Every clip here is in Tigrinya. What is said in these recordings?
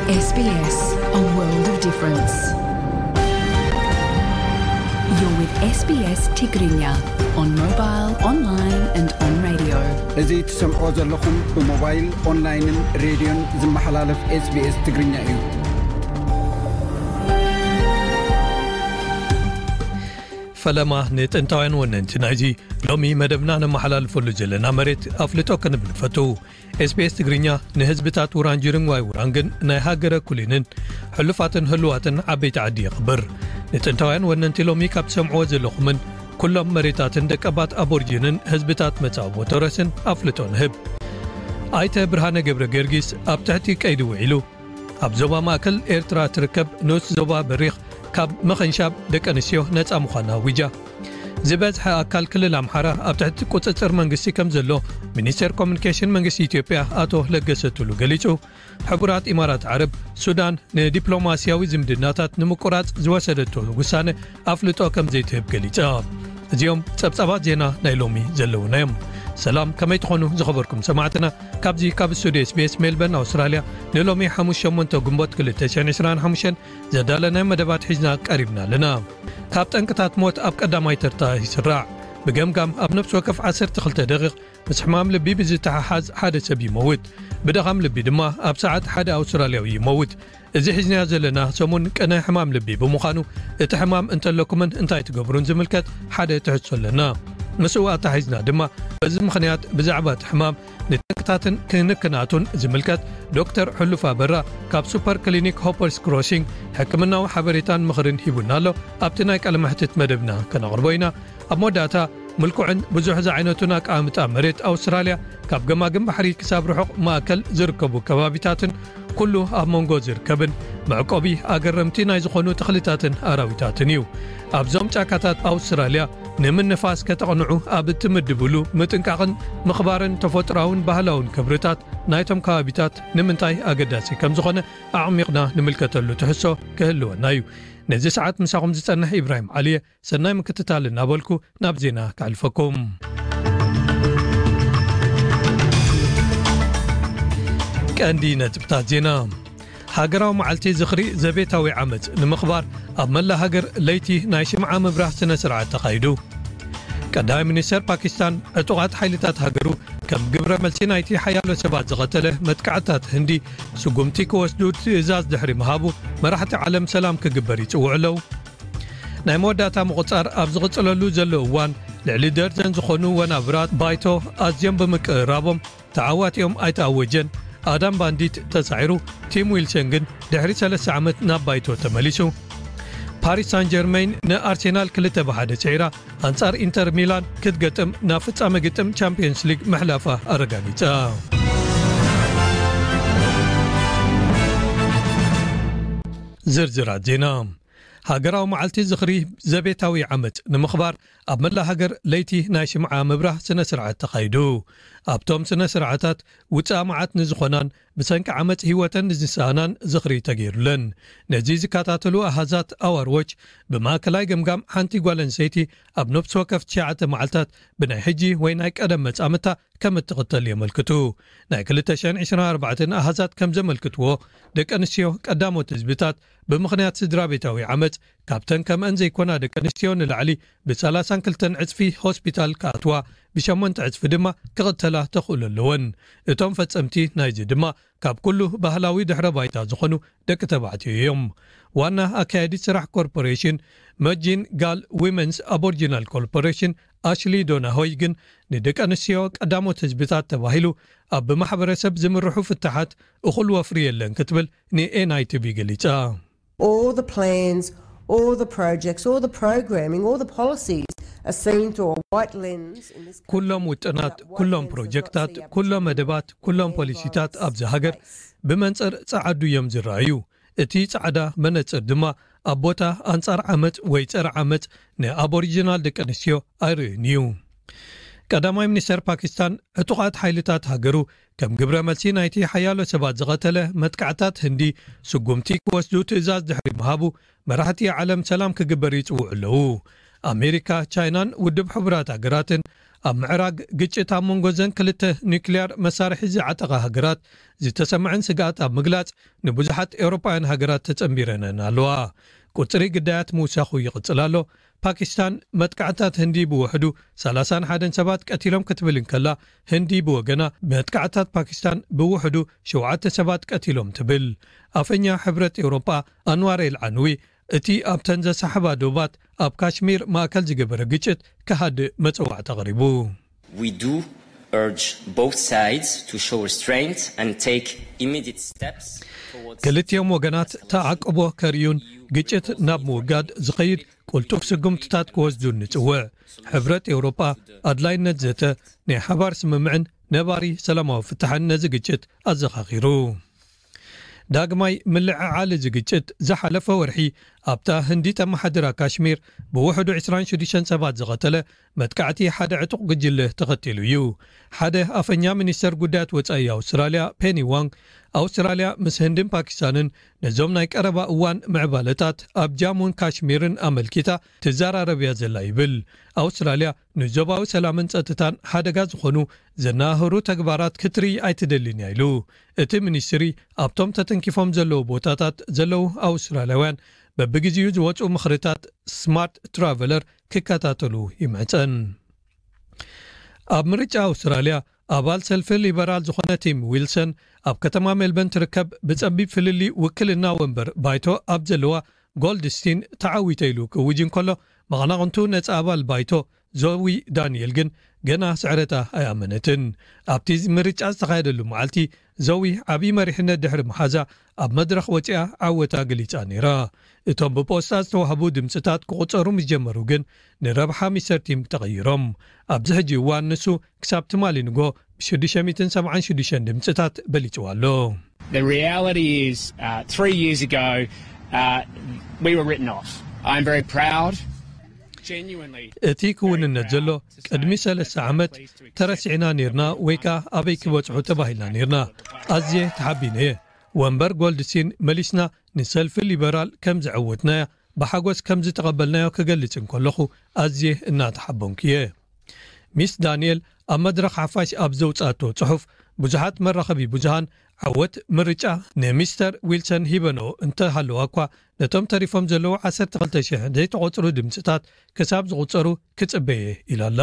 S B S, a world of difference. You're with S B S Tigrinya on mobile, online and on radio. እዚ ትሰምዕዎ ዘለኹም ብሞባይል፣ ኦንላይንን ሬድዮን ዝመሓላለፍ SBS ትግርኛ እዩ። ፈለማ ንጥንታውያን ወነንቲ ናይዚ ሎሚ መደብና ነመሓላልፈሉ ዘለና መሬት ኣፍልጦ ክንብል ንፈቱ። SBS ትግርኛ ንህዝብታት ውራንጅርን ዋይ ውራንግን ናይ ሃገረ ኩሊንን ሕሉፋትን ህልዋትን ዓበይቲ ዓዲ የኽብር። ንጥንታውያን ወነንቲ ሎሚ ካብ ትሰምዕዎ ዘለኹምን ኩሎም መሬታትን ደቀባት ኣቦርጂንን ህዝብታት መጻብቦ ቶረስን ኣፍልጦ ንህብ። ኣይተ ብርሃነ ገብረ ጊዮርጊስ ኣብ ትሕቲ ቀይዲ ውዒሉ ኣብ ዞባ ማእከል ኤርትራ ትርከብ ንኡስ ዞባ በሪኽ ካብ ምኽንሻብ ደቂ ኣንስትዮ ነጻ ምዃና ኣዊጃ። ዝበዝሐ ኣካል ክልል ኣምሓራ ኣብ ትሕቲ ቁጽጽር መንግስቲ ከም ዘሎ ሚኒስቴር ኮሚኒኬሽን መንግስቲ ኢትዮጵያ ኣቶ ለገሰ ቱሉ ገሊጹ። ሕቡራት ኢማራት ዓረብ ሱዳን ንዲፕሎማስያዊ ዝምድናታት ንምቁራጽ ዝወሰደቶ ውሳነ ኣፍልጦ ከም ዘይትህብ ገሊጻ። እዚኦም ጸብጻባት ዜና ናይ ሎሚ ዘለዉና እዮም። ሰላም፣ ከመይ ትኾኑ ዝኸበርኩም ሰማዕትና? ካብዚ ካብ ስቱዲዮ SBS ሜልበርን ኣውስትራልያ ንሎሚ ሓሙስ ሸሞንተ ግንቦት ክልተ ሽሕን ዕስራን ሓሙሽተን ዘዳለናዮ መደባት ሒዝና ቀሪብና ኣለና። ካብ ጠንቅታት ሞት ኣብ ቀዳማይ ተርታ ይስራዕ። ብገምጋም ኣብ ነፍሲ ወከፍ ዓሰርተ ክልተ ደቂቕ ምስ ሕማም ልቢ ብዝተሓሓዝ ሓደ ሰብ ይመውት። ብድኻም ልቢ ድማ ኣብ ሰዓት ሓደ ኣውስትራልያዊ ይመውት። እዚ ሒዝናዮ ዘለና ሰሙን ቅነ ሕማም ልቢ ብምዃኑ፣ እቲ ሕማም እንተለኩምን እንታይ ትገብሩን ዝምልከት ሓደ ትሕዝቶ ኣለና። ምስኡ ኣተሓሒዝና ድማ በዚ ምኽንያት ብዛዕባ እቲ ሕማም ንጠንቅታትን ክንክናቱን ዝምልከት ዶክተር ሕሉፍ ኣበራ ካብ ሱፐር ክሊኒክ ሆፐርስ ክሮሲንግ ሕክምናዊ ሓበሬታን ምኽርን ሂቡና ኣሎ። ኣብቲ ናይ ቃለ መሕትት መደብና ከነቕርቦ ኢና። ኣብ መወዳእታ ምልኩዕን ብዙሕ ዝዓይነቱን ኣቀማምጣ መሬት ኣውስትራልያ ካብ ገማግም ባሕሪ ክሳብ ርሑቕ ማእከል ዝርከቡ ከባቢታትን ኩሉ ኣብ መንጎ ዝርከብን መዕቆቢ ኣገረምቲ ናይ ዝኾኑ ተኽልታትን ኣራዊታትን እዩ። ኣብዞም ጫካታት ኣውስትራልያ ንምንፋስ ከተቕንዑ ኣብ እትምድብሉ ምጥንቃቕን ምኽባርን ተፈጥሮኣውን ባህላውን ክብርታት ናይቶም ከባቢታት ንምንታይ ኣገዳሲ ከም ዝኾነ ኣዕሚቕና ንምልከተሉ ትሕዝቶ ክህልወና እዩ። ነዚ ሰዓት ምሳኹም ዝጸንሕ ኢብራሂም ዓሊየ። ሰናይ ምክትታል እናበልኩ ናብ ዜና ከሕልፈኩም። ቀንዲ ነጥብታት ዜና። ሃገራዊ መዓልቲ ዝኽሪ ዘቤታዊ ዓመጽ ንምኽባር ኣብ መላ ሃገር ለይቲ ናይ ሽምዓ ምብራህ ስነ ስርዓት ተኻይዱ። ቀዳማይ ሚኒስተር ፓኪስታን ዕጡቓት ሓይልታት ሃገሩ ከም ግብረ መልሲ ናይቲ ሓያሎ ሰባት ዝቐተለ መጥቃዕትታት ህንዲ ስጉምቲ ክወስዱ ትእዛዝ ድሕሪ ምሃቡ፣ መራሕቲ ዓለም ሰላም ክግበር ይጽውዑ ኣለዉ። ናይ መወዳእታ ምቑጻር ኣብ ዝቕጽለሉ ዘሎ እዋን፣ ልዕሊ ደርዘን ዝኾኑ ወናብራት ባይቶ ኣዝዮም ብምቅርራቦም ተዓዋቲኦም ኣይተኣወጀን። ኣዳም ባንዲት ተሳዒሩ፣ ቲም ዊልሰን ግን ድሕሪ ሰለስተ ዓመት ናብ ባይቶ ተመሊሱ። ፓሪስ ሳን ጀርመይን ንኣርሴናል ክልተ ብሓደ ስዒራ፣ ኣንጻር ኢንተር ሚላን ክትገጥም ናብ ፍጻመ ግጥም ቻምፒየንስ ሊግ ምሕላፋ ኣረጋጊጻ። ዝርዝራት ዜና። ሃገራዊ መዓልቲ ዝኽሪ ዘቤታዊ ዓመጽ ንምኽባር ኣብ መላ ሃገር ለይቲ ናይ ሽምዓ ምብራህ ስነ ስርዓት ተኻይዱ። ኣብቶም ስነ ስርዓታት ውጽኣ መዓት ንዝኾናን ብሰንኪ ዓመጽ ህይወተን ንዝሰኣናን ዝኽሪ ተገይሩለን። ነዚ ዝከታተሉ ኣሃዛት ኣዋርዎች ብማእከላይ ገምጋም ሓንቲ ጓል ኣንስተይቲ ኣብ ነፍሲ ወከፍ ትሽዓተ መዓልታት ብናይ ሕጂ ወይ ናይ ቀደም መጻምታ ከም እትኽተል የመልክቱ። ናይ ክልተ ሽሕን ዕስራን ኣርባዕተን ኣሃዛት ከም ዘመልክትዎ፣ ደቂ ኣንስትዮ ቀዳሞት ህዝብታት ብምኽንያት ስድራ ቤታዊ ዓመጽ ካብተን ከምአን ዘይኮና ደቂ ኣንስትዮ ንላዕሊ ብሰላሳን ክልተን ዕጽፊ ሆስፒታል ክኣትዋ፣ ብሸሞንተ ዕጽፊ ድማ ክቕተላ ተኽእሎ ኣለወን። እቶም ፈጸምቲ ናይዚ ድማ ካብ ኩሉ ባህላዊ ድሕረ ባይታ ዝኾኑ ደቂ ተባዕትዮ እዮም። ዋና ኣካያዲት ስራሕ ኮርፖሬሽን መጂን ጋል ዊመንስ ኣቦሪጂናል ኮርፖሬሽን ኣሽሊ ዶናሆይ ግን ንደቂ ኣንስትዮ ቀዳሞት ህዝብታት ተባሂሉ ኣብ ብማሕበረሰብ ዝምርሑ ፍታሓት እኹል ወፍሪ የለን ክትብል ንኤንኣይቲቪ ገሊጻ። All the plans, all the projects, all the programming, all the policies are seen through a white lens in this country. ኩሎም ውጥናት፣ ኩሎም ፕሮጀክታት፣ ኩሎም መደባት፣ ኩሎም ፖሊሲታት ኣብዚ ሃገር ብመንጽር ጸዓዱ እዮም ዝረኣዩ። እቲ ጻዕዳ መነጽር ድማ ኣብ ቦታ ኣንጻር ዓመጽ ወይ ጸረ ዓመጽ ንኣቦሪጂናል ደቂ ኣንስትዮ ኣይርእን እዩ። ቀዳማይ ሚኒስተር ፓኪስታን ዕጡቓት ሓይልታት ሃገሩ ከም ግብረ መልሲ ናይቲ ሓያሎ ሰባት ዝቐተለ መጥቃዕታት ህንዲ ስጉምቲ ክወስዱ ትእዛዝ ድሕሪ ምሃቡ፣ መራሕቲ ዓለም ሰላም ክግበር ይጽውዑ ኣለዉ። ኣሜሪካ፣ ቻይናን ውድብ ሕቡራት ሃገራትን ኣብ ምዕራግ ግጭት ኣብ መንጎ ዘን ክልተ ኒውክሊያር መሳርሒ ዝዓጠቓ ሃገራት ዝተሰምዐን ስግኣት ኣብ ምግላጽ፣ ንብዙሓት ኤውሮጳውያን ሃገራት ተጸንቢረነን ኣለዋ። ቁጽሪ ግዳያት ምውሳኹ ይቕጽል ኣሎ። ፓኪስታን መጥቃዕታት ህንዲ ብውሕዱ ሰላሳን ሓደን ሰባት ቀቲሎም ክትብል እንከላ፣ ህንዲ ብወገና መጥቃዕታት ፓኪስታን ብውሕዱ ሸውዓተ ሰባት ቀቲሎም ትብል። ኣፈኛ ሕብረት ኤውሮጳ ኣንዋር ኤል ዓንዊ፣ እቲ ኣብተን ዘሳሕባ ዶባት ኣብ ካሽሚር ማእከል ዝገበረ ግጭት ክሃድእ መጸዋዕታ ኣቕሪቡ። We do urge both sides to show restraint and take immediate steps towards ክልቲኦም ወገናት ተዓቅቦ ከርእዩን ግጭት ናብ ምውጋድ ዝኸይድ ቅልጡፍ ስጉምትታት ክወስዱን ንጽውዕ። ሕብረት ኤውሮጳ ኣድላይነት ዘተ ናይ ሓባር ስምምዕን ነባሪ ሰላማዊ ፍታሕን ነዚ ግጭት ኣዘኻኺሩ። ዳግማይ ምልዕዓል እዚ ግጭት ዝሓለፈ ወርሒ ኣብታ ህንዲ ተመሓድራ ካሽሚር ብውሕዱ ዕስራን ሽዱሽተን ሰባት ዝቐተለ መጥቃዕቲ ሓደ ዕጡቕ ጉጅለ ተኸቲሉ እዩ። ሓደ ኣፈኛ ሚኒስተር ጉዳያት ወጻኢ ኣውስትራልያ ፔኒ ዋንግ፣ ኣውስትራልያ ምስ ህንድን ፓኪስታንን ነዞም ናይ ቀረባ እዋን ምዕባለታት ኣብ ጃሙን ካሽሚርን ኣመልኪታ ትዘራረብ እያ ዘላ ይብል። ኣውስትራልያ ንዞባዊ ሰላምን ጸጥታን ሓደጋ ዝኾኑ ዘናህሩ ተግባራት ክትርኢ ኣይትደልን እያ ኢሉ። እቲ ሚኒስትሪ ኣብቶም ተተንኪፎም ዘለዉ ቦታታት ዘለዉ ኣውስትራልያውያን በብግዜኡ ዝወፁ ምኽርታት ስማርት ትራቨለር ክከታተሉ ይምሕፀን። ኣብ ምርጫ ኣውስትራልያ ኣባል ሰልፊ ሊበራል ዝኾነ ቲም ዊልሰን ኣብ ከተማ ሜልበን ትርከብ ብጸቢብ ፍልልይ ውክልና ወንበር ባይቶ ኣብ ዘለዋ ጎልድስቲን ተዓዊተ ኢሉ ክውጅ እንከሎ፣ መቐናቕንቱ ነጻ ኣባል ባይቶ ዞዊ ዳንኤል ግን ገና ስዕረታ ኣይኣመነትን። ኣብቲ ምርጫ ዝተኻየደሉ መዓልቲ ዞዊ ዓብዪ መሪሕነት ድሕሪ መሓዛ ኣብ መድረኽ ወጺኣ ዓወታ ገሊጻ ነይራ። እቶም ብፖስታ ዝተዋህቡ ድምፅታት ክቑጸሩ ምስ ጀመሩ ግን ንረብሓ ሚስተር ቲም ተቐይሮም። ኣብዚ ሕጂ እዋን ንሱ ክሳብ ትማሊ ንጎ ብ ሽዱሽተ ሚእትን ሰብዓን ሽዱሽተን ድምፅታት በሊፅዋ ኣሎ። The reality is, uh, three years ago, uh, we were written off. I'm very proud, genuinely. እቲ ክውንነት ዘሎ ቅድሚ ሰለስተ ዓመት ተረሲዕና ነርና ወይ ከኣ ኣበይ ክበጽሑ ተባሂልና ነርና። ኣዝየ ተሓቢነ እየ። ወንበር ጎልድሲን መሊስና ንሰልፊ ሊበራል ከም ዘዐወትናያ ብሓጎስ ከም ዝተቐበልናዮ ክገልጽ እንከለኹ ኣዝየ እናተሓበንኩ እየ። ሚስ ዳንኤል ኣብ መድረኽ ሓፋሽ ኣብ ዘውጻእቶ ጽሑፍ፣ ብዙሓት መራኸቢ ብዙሃን ዓወት ምርጫ ንሚስተር ዊልሰን ሂበንኦ እንተሃለዋ እኳ፣ ነቶም ተሪፎም ዘለዉ ዓሰርተ ክልተ ሽሕ ዘይተቖጽሩ ድምጽታት ክሳብ ዝቑጸሩ ክጽበየ ኢላ ኣላ።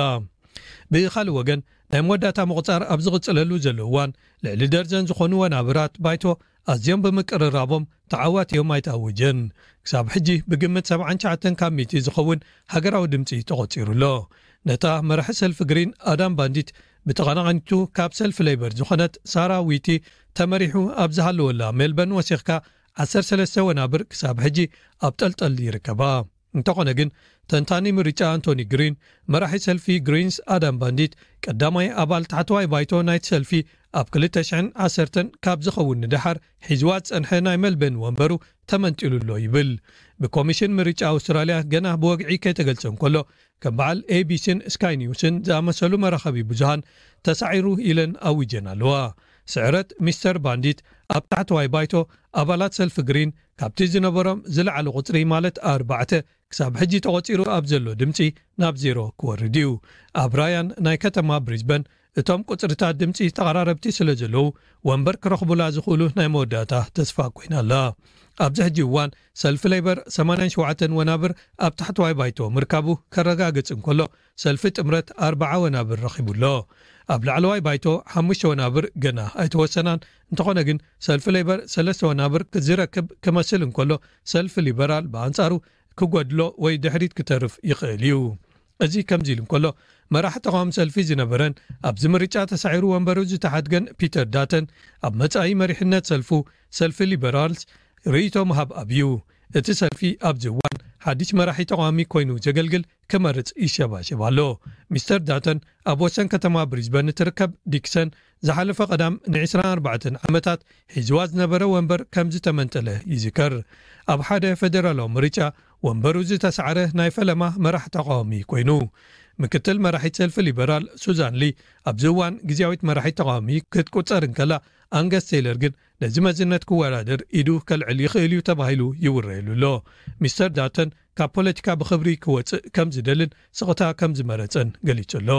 ብኻልእ ወገን፣ ናይ መወዳእታ ምቑጻር ኣብ ዝቕጽለሉ ዘሎ እዋን፣ ልዕሊ ደርዘን ዝኾኑ ወናብራት ባይቶ ኣዝዮም ብምቅርራቦም ተዓዋቲ እዮም ኣይተኣወጀን። ክሳብ ሕጂ ብግምት ሰብዓን ትሽዓተን ካብ ሚእቲ ዝኸውን ሃገራዊ ድምጺ ተቖጺሩ ኣሎ። ነታ መራሒ ሰልፊ ግሪን ኣዳም ባንዲት ብተቐናቓኒቱ ካብ ሰልፊ ሌበር ዝኾነት ሳራ ዊቲ ተመሪሑ ኣብ ዝሃለወላ ሜልበርን ወሲኽካ ዓሰርተ ሰለስተ ወናብር ክሳብ ሕጂ ኣብ ጠልጠል ይርከባ። እንተኾነ ግን፣ ተንታኒ ምርጫ ኣንቶኒ ግሪን፣ መራሒ ሰልፊ ግሪንስ ኣዳም ባንዲት ቀዳማይ ኣባል ታሕተዋይ ባይቶ ናይቲ ሰልፊ ኣብ ክልተ ሽሕን ዓሰርተን ካብ ዝኸውን ንደሓር ሒዝዋ ዝጸንሐ ናይ ሜልበርን ወንበሩ ተመንጢሉ ኣሎ ይብል። ብኮሚሽን ምርጫ ኣውስትራልያ ገና ብወግዒ ከይተገልጸ እንከሎ፣ ከም በዓል ኤቢሲን ስካይ ኒውስን ዝኣመሰሉ መራኸቢ ብዙሃን ተሳዒሩ ኢለን ኣዊጀን ኣለዋ። ስዕረት ሚስተር ባንዲት ኣብ ታሕተዋይ ባይቶ ኣባላት ሰልፊ ግሪን ካብቲ ዝነበሮም ዝለዓለ ቁጽሪ ማለት ኣርባዕተ ክሳብ ሕጂ ተቖጺሩ ኣብ ዘሎ ድምጺ ናብ ዜሮ ክወርድ እዩ። ኣብ ራያን ናይ ከተማ ብሪዝበን እቶም ቁጽርታት ድምጺ ተቐራረብቲ ስለ ዘለዉ ወንበር ክረኽቡላ ዝኽእሉ ናይ መወዳእታ ተስፋ ኮይና ኣላ። ኣብዚ ሕጂ እዋን ሰልፊ ሌበር ሰማንያን ሸውዓተን ወናብር ኣብ ታሕተዋይ ባይቶ ምርካቡ ከረጋግጽ እንከሎ፣ ሰልፊ ጥምረት ኣርባዓ ወናብር ረኺቡ ኣሎ። ኣብ ላዕለዋይ ባይቶ ሓሙሽተ ወናብር ገና ኣይተወሰናን። እንተኾነ ግን ሰልፊ ሌበር ሰለስተ ወናብር ዝረክብ ክመስል እንከሎ፣ ሰልፊ ሊበራል ብኣንጻሩ ክጎድሎ ወይ ድሕሪት ክተርፍ ይኽእል እዩ። እዚ ከምዚ ኢሉ እንከሎ፣ መራሕ ተቓዋሚ ሰልፊ ዝነበረን ኣብዚ ምርጫ ተሳዒሩ ወንበሩ ዝተሓድገን ፒተር ዳተን፣ ኣብ መጻኢ መሪሕነት ሰልፉ፣ ሰልፊ ሊበራልስ፣ ርእይቶ ምሃብ ኣብዩ። እቲ ሰልፊ ኣብዚ እዋን ሓድሽ መራሒ ተቓዋሚ ኮይኑ ዘገልግል ክመርጽ ይሸባሸብ ኣሎ። ሚስተር ዳተን ኣብ ወሰን ከተማ ብሪዝበን እትርከብ ዲክሰን ዝሓለፈ ቀዳም ን ዕስራን ኣርባዕተን ዓመታት ሒዝዋ ዝነበረ ወንበር ከም ዝተመንጠለ ይዝከር። ኣብ ሓደ ፌደራላዊ ምርጫ ወንበሩ ዝተሳዕረ ናይ ፈለማ መራሕ ተቓዋሚ ኮይኑ። ምክትል መራሒት ሰልፊ ሊበራል ሱዛን ሊ ኣብዚ እዋን ግዝያዊት መራሒት ተቓዋሚ ክትቁጸር እንከላ፣ ኣንገስ ቴይለር ግን ነዚ መዝነት ክወዳደር ኢዱ ከልዕል ይኽእል እዩ ተባሂሉ ይውረየሉ ኣሎ። ሚስተር ዳተን ካብ ፖለቲካ ብኽብሪ ክወጽእ ከም ዝደልን ስቕታ ከም ዝመረጸን ገሊጹ ኣሎ።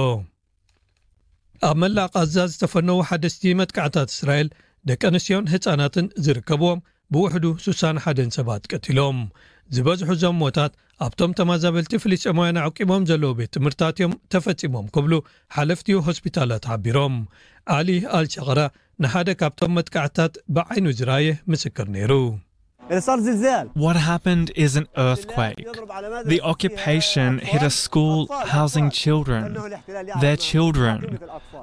ኣብ መላእ ቃዛ ዝተፈነዉ ሓደስቲ መጥቃዕታት እስራኤል ደቂ ኣንስትዮን ህጻናትን ዝርከብዎም ብውሕዱ ስሳን ሓደን ሰባት ቀቲሎም። ዝበዝሑ እዞም ሞታት ኣብቶም ተመዛበልቲ ፍልስጤማውያን ኣዕቂቦም ዘለዉ ቤት ትምህርታት እዮም ተፈጺሞም ክብሉ ሓለፍቲ ሆስፒታላት ሓቢሮም። ኣሊ ኣልሸቕራ ንሓደ ካብቶም መጥቃዕታት ብዓይኑ ዝረኣየ ምስክር ነይሩ። What happened is an earthquake. The occupation hit a school housing children. Their children.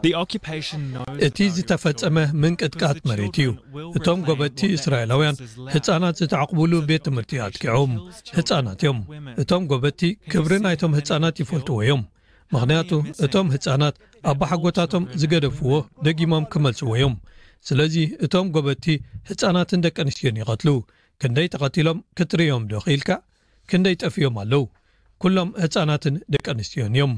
The occupation knows እቲ ዝተፈጸመ ምንቅጥቃጥ መሬት እዩ። እቶም ጎበቲ እስራኤላውያን ህጻናት ዝተዓቕቡሉ ቤት ትምህርቲ ኣጥቂዖም። ህጻናት እዮም። እቶም ጎበቲ ክብሪ ናይቶም ህጻናት ይፈልጥዎ እዮም። ምኽንያቱ እቶም ህጻናት ኣባሓጎታቶም ዝገደፍዎ ደጊሞም ክመልስዎ እዮም። ስለዚ እቶም ጎበቲ ህጻናትን ደቂ ኣንስትዮን ይቐትሉ። ክንደይ ተቐቲሎም ክትርእዮም ዶ ክኢልካ? ክንደይ ጠፊኦም ኣለዉ? ኩሎም ህጻናትን ደቂ ኣንስትዮን እዮም።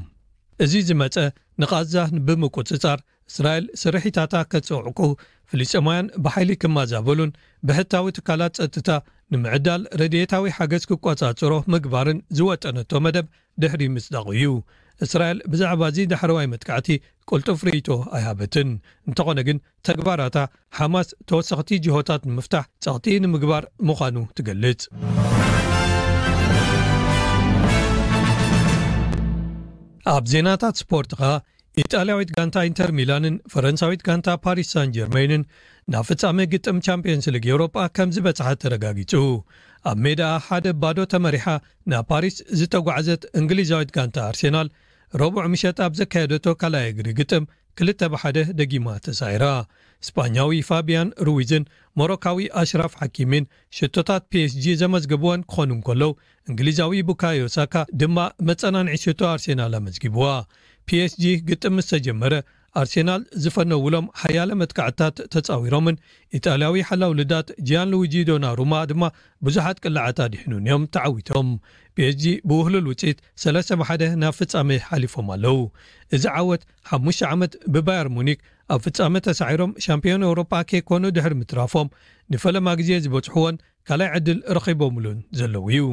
እዚ ዝመጸ ንቓዛ ብምቁጽጻር እስራኤል ስርሒታታ ከጽዕቁ፣ ፍልስጤማውያን ብሓይሊ ክመዛበሉን ብሕታዊ ትካላት ጸጥታ ንምዕዳል ረድኤታዊ ሓገዝ ክቆጻጽሮ ምግባርን ዝወጠነቶ መደብ ድሕሪ ምጽዳቑ እዩ። እስራኤል ብዛዕባ እዚ ዳሕረዋይ መጥቃዕቲ ቅልጡፍ ርእይቶ ኣይሃበትን። እንተኾነ ግን ተግባራታ ሓማስ ተወሰኽቲ ጅሆታት ንምፍታሕ ጸቕጢ ንምግባር ምዃኑ ትገልጽ። ኣብ ዜናታት ስፖርት ኸኣ፣ ኢጣልያዊት ጋንታ ኢንተር ሚላንን ፈረንሳዊት ጋንታ ፓሪስ ሳን ጀርመይንን ናብ ፍጻሜ ግጥም ቻምፒየንስ ሊግ ኤውሮጳ ከም ዝበጽሓ ተረጋጊጹ። ኣብ ሜዳ ሓደ ባዶ ተመሪሓ ናብ ፓሪስ ዝተጓዕዘት እንግሊዛዊት ጋንታ ኣርሴናል፣ ረቡዕ ምሸት ኣብ ዘካየደቶ ካልኣይ እግሪ ግጥም ክልተ ብሓደ ደጊማ ተሳዒራ። ስጳኛዊ ፋቢያን ሩዊዝን ሞሮካዊ ኣሽራፍ ሓኪሚን ሽቶታት ፒ ኤስ ጂ ዘመዝገቡወን ክኾኑ እንከለዉ፣ እንግሊዛዊ ቡካዮ ሳካ ድማ መጸናንዒ ሽቶ ኣርሴናል ኣመዝጊብዋ። ፒ ኤስ ጂ ግጥም ምስ ተጀመረ፣ ኣርሴናል ዝፈነውሎም ሓያለ መጥቃዕትታት ተጻዊሮምን ኢጣልያዊ ሓላው ልዳት ጂያን ሉዊጂ ዶናሩማ ድማ ብዙሓት ቅላዓት ኣድሒኑን እዮም ተዓዊቶም። ፒ ኤስ ጂ ብውህሉል ውጽኢት ሰለስተ ብሓደ ናብ ፍጻሜ ሓሊፎም ኣለዉ። እዚ ዓወት ሓሙሽተ ዓመት ብባየር ሙኒክ ኣብ ፍጻመ ተሳዒሮም ሻምፒዮን ኤውሮጳ ከይኮኑ ድሕሪ ምትራፎም ንፈለማ ግዜ ዝበጽሕዎን ካልኣይ ዕድል ረኺቦምሉን ዘለዉ እዩ።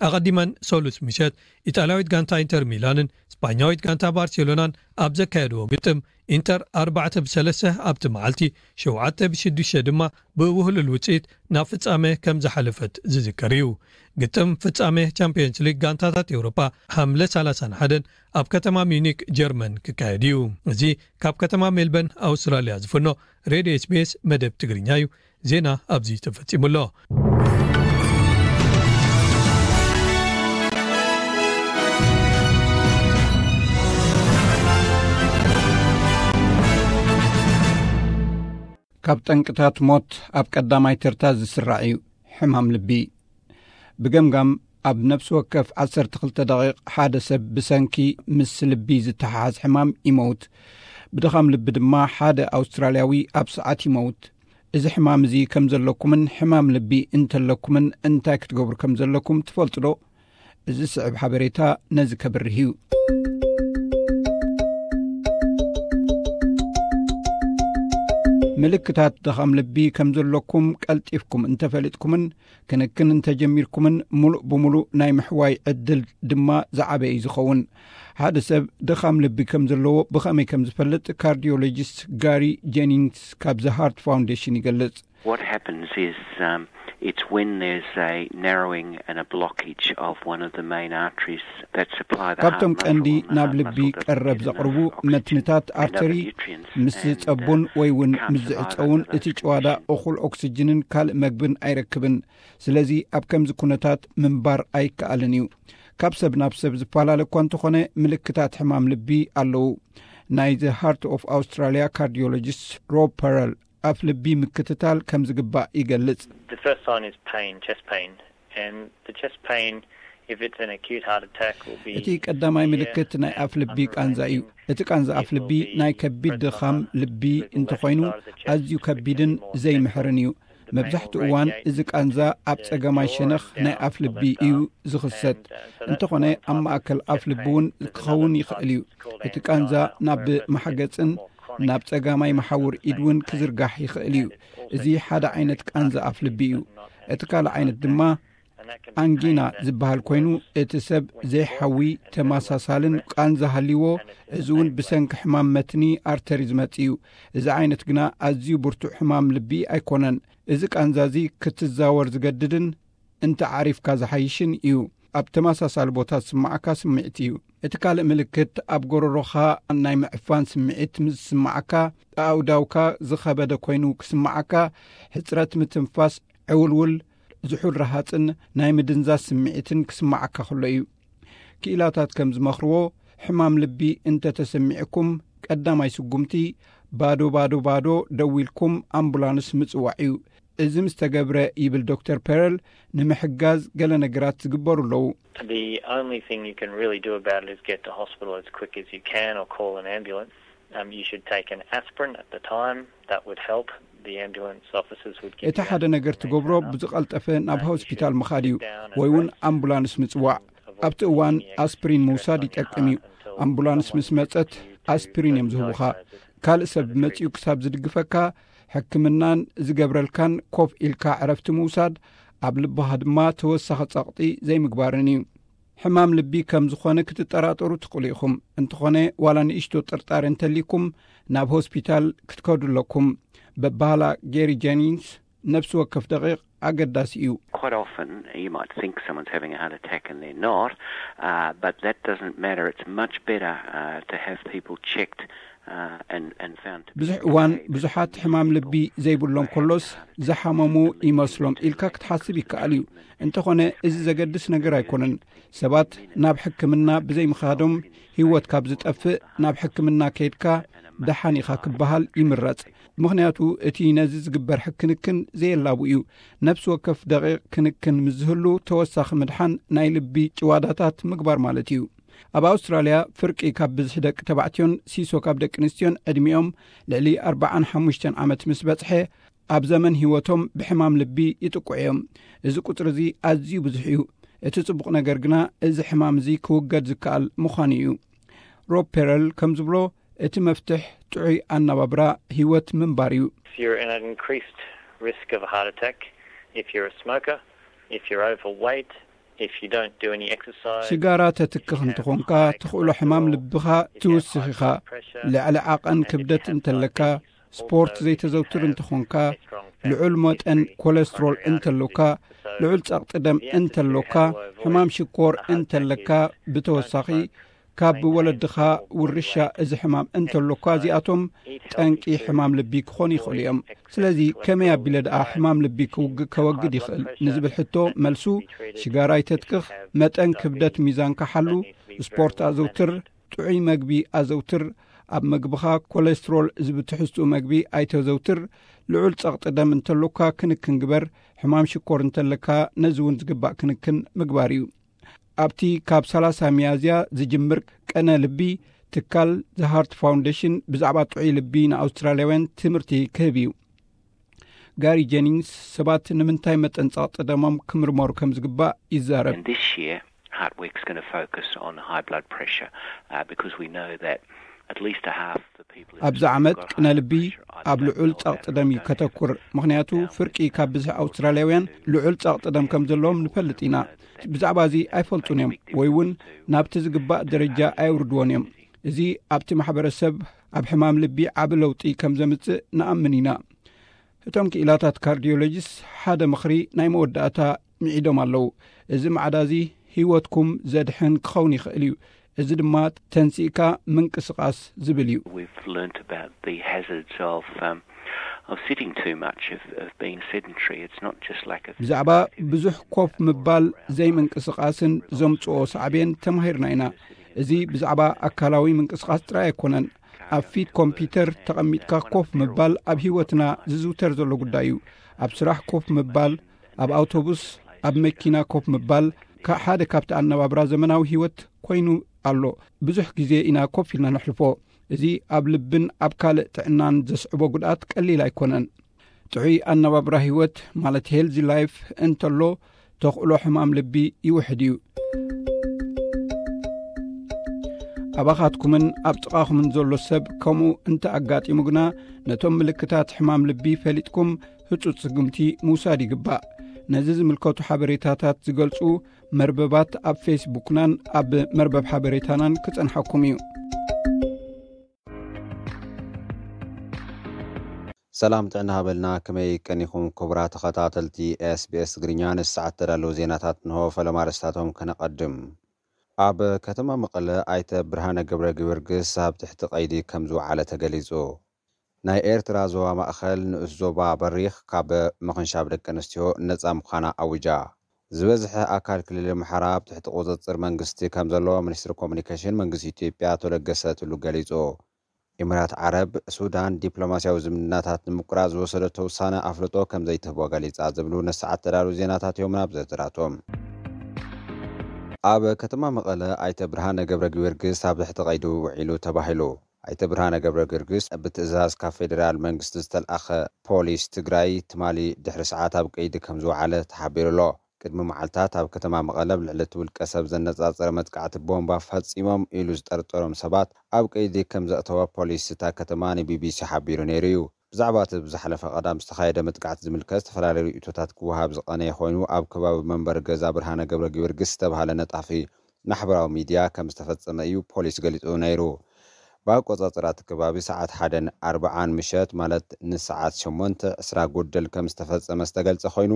ኣቐዲመን ሰሉስ ምሸት ኢጣልያዊት ጋንታ ኢንተር ሚላንን ስጳኛዊት ጋንታ ባርሴሎናን ኣብ ዘካየድዎ ግጥም ኢንተር ኣርባዕተ ብሰለስተ ኣብቲ መዓልቲ፣ ሸውዓተ ብሽዱሽተ ድማ ብውህሉል ውጽኢት ናብ ፍጻመ ከም ዝሓለፈት ዝዝከር እዩ። ግጥም ፍጻመ ቻምፒየንስ ሊግ ጋንታታት ኤውሮጳ ሓምለ ሰላሳን ሓደን ኣብ ከተማ ሚዩኒክ ጀርመን ክካየድ እዩ። እዚ ካብ ከተማ ሜልበርን ኣውስትራልያ ዝፍኖ ሬድዮ ኤስ ቢ ኤስ መደብ ትግርኛ እዩ። ዜና ኣብዚ ተፈጺሙ ኣሎ። ካብ ጠንቅታት ሞት ኣብ ቀዳማይ ተርታ ዝስራዕ እዩ ሕማም ልቢ። ብገምጋም ኣብ ነፍሲ ወከፍ ዓሰርተ ክልተ ደቂቕ ሓደ ሰብ ብሰንኪ ምስ ልቢ ዝተሓሓዝ ሕማም ይመውት። ብድኻም ልቢ ድማ ሓደ ኣውስትራልያዊ ኣብ ሰዓት ይመውት። እዚ ሕማም እዚ ከም ዘለኩምን ሕማም ልቢ እንተለኩምን እንታይ ክትገብሩ ከም ዘለኩም ትፈልጡ ዶ? እዚ ስዕብ ሓበሬታ ነዚ ከብርህ እዩ። ምልክታት ድኻም ልቢ ከም ዘለኩም ቀልጢፍኩም እንተፈሊጥኩምን ክንክን እንተጀሚርኩምን፣ ሙሉእ ብሙሉእ ናይ ምሕዋይ ዕድል ድማ ዝዓበየ እዩ ዝኸውን። ሓደ ሰብ ድኻም ልቢ ከም ዘለዎ ብኸመይ ከም ዝፈልጥ ካርዲዮሎጂስት ጋሪ ጀኒንግስ ካብ ዘ ሃርት ፋውንዴሽን ይገልጽ። What happens is, um, it's when there's a narrowing and a blockage of one of the main arteries that supply the heart ካብቶም ቀንዲ muscle and the ናብ heart ልቢ muscle doesn't ቀረብ get ዘቕርቡ enough oxygen መትንታት and other ኣርተሪ nutrients ምስ and, uh, ዝጸቡን ወይ እውን can't ምስ survive ዝዕጸውን over እቲ those ጭዋዳ conditions. እኹል ኦክስጅንን ካልእ መግብን ኣይረክብን። ስለዚ ኣብ ከምዚ ኩነታት ምንባር ኣይከኣልን እዩ። ካብ ሰብ ናብ ሰብ ዝፈላለ እኳ እንተኾነ ምልክታት ሕማም ልቢ ኣለዉ። ናይ The Heart of Australia ካርዲዮሎጂስት ሮብ ፐረል ኣፍ ልቢ ምክትታል ከም ዝግባእ ይገልጽ። The first sign is pain, chest pain, and the chest pain, if it's an acute heart attack, will be እቲ ቀዳማይ ምልክት ናይ ኣፍ ልቢ ቃንዛ እዩ። እቲ ቃንዛ ኣፍ ልቢ ናይ ከቢድ ድኻም ልቢ እንተኾይኑ ኣዝዩ ከቢድን ዘይምሕርን እዩ። መብዛሕትኡ እዋን እዚ ቃንዛ ኣብ ጸጋማይ ሸነኽ ናይ ኣፍ ልቢ እዩ ዝኽሰት። እንተኾነ ኣብ ማእከል ኣፍ ልቢ እውን ክኸውን ይኽእል እዩ። እቲ ቃንዛ ናብ ማሕገጽን ናብ ጸጋማይ መሓውር ኢድ እውን ክዝርጋሕ ይኽእል እዩ። እዚ ሓደ ዓይነት ቃንዛ ኣፍ ልቢ እዩ። እቲ ካልእ ዓይነት ድማ ኣንጊና ዝበሃል ኮይኑ፣ እቲ ሰብ ዘይሓዊ ተመሳሳልን ቃንዛ ሃልይዎ፣ እዚ እውን ብሰንኪ ሕማም መትኒ ኣርተሪ ዝመጽእ እዩ። እዚ ዓይነት ግና ኣዝዩ ብርቱዕ ሕማም ልቢ ኣይኮነን። እዚ ቃንዛ እዚ ክትዛወር ዝገድድን እንተ ዓሪፍካ ዝሓይሽን እዩ። ኣብ ተመሳሳሊ ቦታ ዝስምዓካ ስምዒት እዩ። እቲ ካልእ ምልክት፣ ኣብ ጎረሮኻ ናይ ምዕፋን ስምዒት ምስ ዝስምዓካ፣ ኣእዳውካ ዝኸበደ ኮይኑ ክስምዓካ፣ ሕጽረት ምትንፋስ፣ ዕውልውል፣ ዝሑል ረሃጽን ናይ ምድንዛዝ ስምዒትን ክስምዓካ ከሎ እዩ። ክኢላታት ከም ዝመኽርዎ፣ ሕማም ልቢ እንተ ተሰሚዕኩም፣ ቀዳማይ ስጉምቲ፣ ባዶ ባዶ ባዶ ደዊልኩም ኣምቡላንስ ምጽዋዕ እዩ። እዚ ምስ ተገብረ፣ ይብል ዶክተር ፐረል፣ ንምሕጋዝ ገለ ነገራት ዝግበሩ ኣለዉ። The only thing you can really do about it is get to hospital as quick as you can or call an ambulance. Um, you should take an aspirin at the time. That would help. The ambulance officers would give እቲ ሓደ ነገር ትገብሮ ብዝቐልጠፈ ናብ ሆስፒታል ምኻድ እዩ፣ ወይ እውን ኣምቡላንስ ምጽዋዕ። ኣብቲ እዋን ኣስፕሪን ምውሳድ ይጠቅም እዩ። ኣምቡላንስ ምስ መጸት ኣስፕሪን እዮም ዝህቡኻ። ካልእ ሰብ መጺኡ ክሳብ ዝድግፈካ፣ ሕክምናን ዝገብረልካን ኮፍ ኢልካ ዕረፍቲ ምውሳድ፣ ኣብ ልብኻ ድማ ተወሳኺ ጸቕጢ ዘይምግባርን እዩ። ሕማም ልቢ ከም ዝኾነ ክትጠራጠሩ ትኽእሉ ኢኹም። እንተኾነ፣ ዋላ ንእሽቶ ጥርጣረ እንተልይኩም፣ ናብ ሆስፒታል ክትከዱ ኣለኩም። በባህላ ጌሪ ጀኒንስ፣ ነፍሲ ወከፍ ደቂቕ ኣገዳሲ እዩ። Quite often you might think someone's having a heart attack and they're not, uh, but that doesn't matter. It's much better uh, to have people checked uh, and, and found to be ብዙሕ እዋን okay. ብዙሓት ሕማም ልቢ ዘይብሎም ከሎስ ዝሓመሙ ይመስሎም ኢልካ ክትሓስብ ይከኣል እዩ። እንተኾነ፣ እዚ ዘገድስ ነገር ኣይኮነን። ሰባት ናብ ሕክምና ብዘይምኻዶም ህይወት ካብ ዝጠፍእ፣ ናብ ሕክምና ከይድካ ደሓን ኢኻ ክበሃል ይምረጽ። ምኽንያቱ፣ እቲ ነዚ ዝግበር ሕክንክን ዘየላቡ እዩ። ነፍሲ ወከፍ ደቂቕ ክንክን ምስ ዝህሉ፣ ተወሳኺ ምድሓን ናይ ልቢ ጭዋዳታት ምግባር ማለት እዩ። ኣብ ኣውስትራልያ፣ ፍርቂ ካብ ብዝሒ ደቂ ተባዕትዮን ሲሶ ካብ ደቂ ኣንስትዮን ዕድሚኦም ልዕሊ ኣርባዓን ሓሙሽተን ዓመት ምስ በጽሐ፣ ኣብ ዘመን ህይወቶም ብሕማም ልቢ ይጥቅዑ እዮም። እዚ ቁጽሪ እዚ ኣዝዩ ብዙሕ እዩ። እቲ ጽቡቕ ነገር ግና፣ እዚ ሕማም እዚ ክውገድ ዝከኣል ምዃኑ እዩ። ሮብ ፔረል ከም ዝብሎ፣ እቲ መፍትሕ ጥዑይ ኣነባብራ ህይወት ምንባር እዩ። You're in an increased risk of a heart attack if you're a smoker, if you're overweight, if you don't do any exercise. ሽጋራ ተትክኽ እንተኾንካ፣ ትኽእሎ ሕማም ልብኻ ትውስኽ ኢኻ። ልዕሊ ዓቐን ክብደት እንተለካ፣ ስፖርት ዘይተዘውትር እንተኾንካ፣ ልዑል መጠን ኮለስትሮል እንተሎካ፣ ልዑል ጸቕጢ ደም እንተሎካ፣ ሕማም ሽኮር እንተለካ፣ ብተወሳኺ ካብ ወለድኻ ውርሻ እዚ ሕማም እንተሎካ፣ እዚኣቶም ጠንቂ ሕማም ልቢ ክኾኑ ይኽእሉ እዮም። ስለዚ ከመይ ኣቢለ ደኣ ሕማም ልቢ ክውግ-፣ ከወግድ ይኽእል ንዝብል ሕቶ መልሱ፣ ሽጋራ ኣይተትክኽ፣ መጠን ክብደት ሚዛንካ ሓሉ፣ ስፖርት ኣዘውትር፣ ጥዑይ መግቢ ኣዘውትር፣ ኣብ መግብኻ ኮለስትሮል ዝብትሕስኡ መግቢ ኣይተዘውትር፣ ልዑል ጸቕጢ ደም እንተሎካ ክንክን ግበር፣ ሕማም ሽኮር እንተለካ ነዚ እውን ዝግባእ ክንክን ምግባር እዩ። ኣብቲ ካብ ሰላሳ ሚያዝያ ዝጅምር ቀነ ልቢ፣ ትካል The Heart Foundation ብዛዕባ ጥዑይ ልቢ ንኣውስትራልያውያን ትምህርቲ ክህብ እዩ። ጋሪ ጀኒንግስ ሰባት ንምንታይ መጠን ጸቕጢ ደሞም ክምርመሩ ከም ዝግባእ ይዛረብ። And this year, Heart Week's going to focus on high blood pressure uh, because we know that at least a half the people in ኣብዚ ዓመት ቅነ ልቢ ኣብ ልዑል ጸቕጢ ደም እዩ ከተኩር። ምኽንያቱ ፍርቂ ካብ ብዝሒ ኣውስትራልያውያን ልዑል ጸቕጢ ደም ከም ዘለዎም ንፈልጥ ኢና። ብዛዕባ እዚ ኣይፈልጡን እዮም ወይ እውን ናብቲ ዝግባእ ደረጃ ኣየውርድዎን እዮም። እዚ ኣብቲ ማሕበረሰብ ኣብ ሕማም ልቢ ዓቢ ለውጢ ከም ዘምጽእ ንኣምን ኢና። እቶም ክኢላታት ካርዲዮሎጂስት ሓደ ምኽሪ ናይ መወዳእታ ምዒዶም ኣለዉ። እዚ ማዕዳ እዚ ህይወትኩም ዘድሕን ክኸውን ይኽእል እዩ። እዚ ድማ ተንሲእካ ምንቅስቓስ ዝብል እዩ። We've learnt about the hazards of um, of sitting too much, of, of being sedentary. It's not just like a ብዛዕባ ብዙሕ ኮፍ ምባል ዘይምንቅስቓስን ዘምጽኦ ሳዕቤን ተማሂርና ኢና። እዚ ብዛዕባ ኣካላዊ ምንቅስቓስ ጥራይ ኣይኮነን። ኣብ ፊት ኮምፒውተር ተቐሚጥካ ኮፍ ምባል ኣብ ህይወትና ዝዝውተር ዘሎ ጉዳይ እዩ። ኣብ ስራሕ ኮፍ ምባል፣ ኣብ ኣውቶቡስ፣ ኣብ መኪና ኮፍ ምባል፣ ካ-፣ ሓደ ካብቲ ኣነባብራ ዘመናዊ ህይወት ኮይኑ ኣሎ። ብዙሕ ግዜ ኢና ኮፍ ኢልና ነሕልፎ። እዚ ኣብ ልብን ኣብ ካልእ ጥዕናን ዘስዕቦ ጉድኣት ቀሊል ኣይኮነን። ጥዑይ ኣነባብራ ህይወት ማለት ሄልዚ ላይፍ እንተሎ፣ ተኽእሎ ሕማም ልቢ ይውሕድ እዩ። ኣባኻትኩምን ኣብ ጥቓኹምን ዘሎ ሰብ ከምኡ እንተ ኣጋጢሙ ግና፣ ነቶም ምልክታት ሕማም ልቢ ፈሊጥኩም ህጹጽ ስጉምቲ ምውሳድ ይግባእ። ነዚ ዝምልከቱ ሓበሬታታት ዝገልጹ መርበባት ኣብ ፌስቡክናን ኣብ መርበብ ሓበሬታናን ክጸንሓኩም እዩ። ሰላም ጥዕና ሃበልና፣ ከመይ ቀኒኹም ክቡራት ተኸታተልቲ ኤስቢኤስ ትግርኛ? ንሰዓት ተዳለዉ ዜናታት እንሆ፣ ፈለማ ኣርእስታቶም ከነቐድም። ኣብ ከተማ መቐለ ኣይተ ብርሃነ ገብረ ጊዮርጊስ ኣብ ትሕቲ ቀይዲ ከም ዝወዓለ ተገሊጹ። ናይ ኤርትራ ዞባ ማእኸል ንኡስ ዞባ በሪኽ ካብ ምኽንሻብ ደቂ ኣንስትዮ ነጻ ምዃና ኣዊጃ። ዝበዝሐ ኣካል ክልል ኣምሓራ ኣብ ትሕቲ ቁጽጽር መንግስቲ ከም ዘሎ ሚኒስትሪ ኮሙኒኬሽን መንግስቲ ኢትዮጵያ ኣቶ ለገሰ ቱሉ ገሊጹ። ኢማራት ዓረብ፣ ሱዳን ዲፕሎማስያዊ ዝምድናታት ንምቁራጽ ዝወሰደቶ ውሳነ ኣፍልጦ ከም ዘይትህቦ ገሊጻ ዝብሉ ንሰዓት ተዳሉ ዜናታት እዮም። ናብ ዝርዝራቶም። ኣብ ከተማ መቐለ ኣይተ ብርሃነ ገብረ ጊዮርጊስ ኣብ ትሕቲ ቀይዲ ውዒሉ ተባሂሉ። ኣይተ ብርሃነ ገብረ ጊዮርጊስ ብትእዛዝ ካብ ፌዴራል መንግስቲ ዝተልኣኸ ፖሊስ ትግራይ ትማሊ ድሕሪ ሰዓት ኣብ ቀይዲ ከም ዝወዓለ ተሓቢሩ ኣሎ። ቅድሚ መዓልታት ኣብ ከተማ መቐለ ኣብ ልዕሊ እቲ ውልቀ ሰብ ዘነጻጸረ መጥቃዕቲ ቦምባ ፈጺሞም ኢሉ ዝጠርጠሮም ሰባት ኣብ ቀይዲ ከም ዘእተወ ፖሊስ እታ ከተማ ንቢቢሲ ሓቢሩ ነይሩ እዩ። ብዛዕባ እቲ ብዝሓለፈ ቀዳም ዝተኻየደ መጥቃዕቲ ዝምልከት ዝተፈላለዩ ርእይቶታት ክወሃብ ዝቐነየ ኮይኑ፣ ኣብ ከባቢ መንበሪ ገዛ ብርሃነ ገብረ ጊዮርጊስ ዝተባህለ ነጣፊ ማሕበራዊ ሚድያ ከም ዝተፈጸመ እዩ ፖሊስ ገሊጹ ነይሩ። ብኣቆጻጽራ እቲ ከባቢ ሰዓት ሓደን ኣርብዓን ምሸት፣ ማለት ንሰዓት ሸሞንተ ዕስራ ጉደል ከም ዝተፈጸመ ዝተገልጸ ኮይኑ፣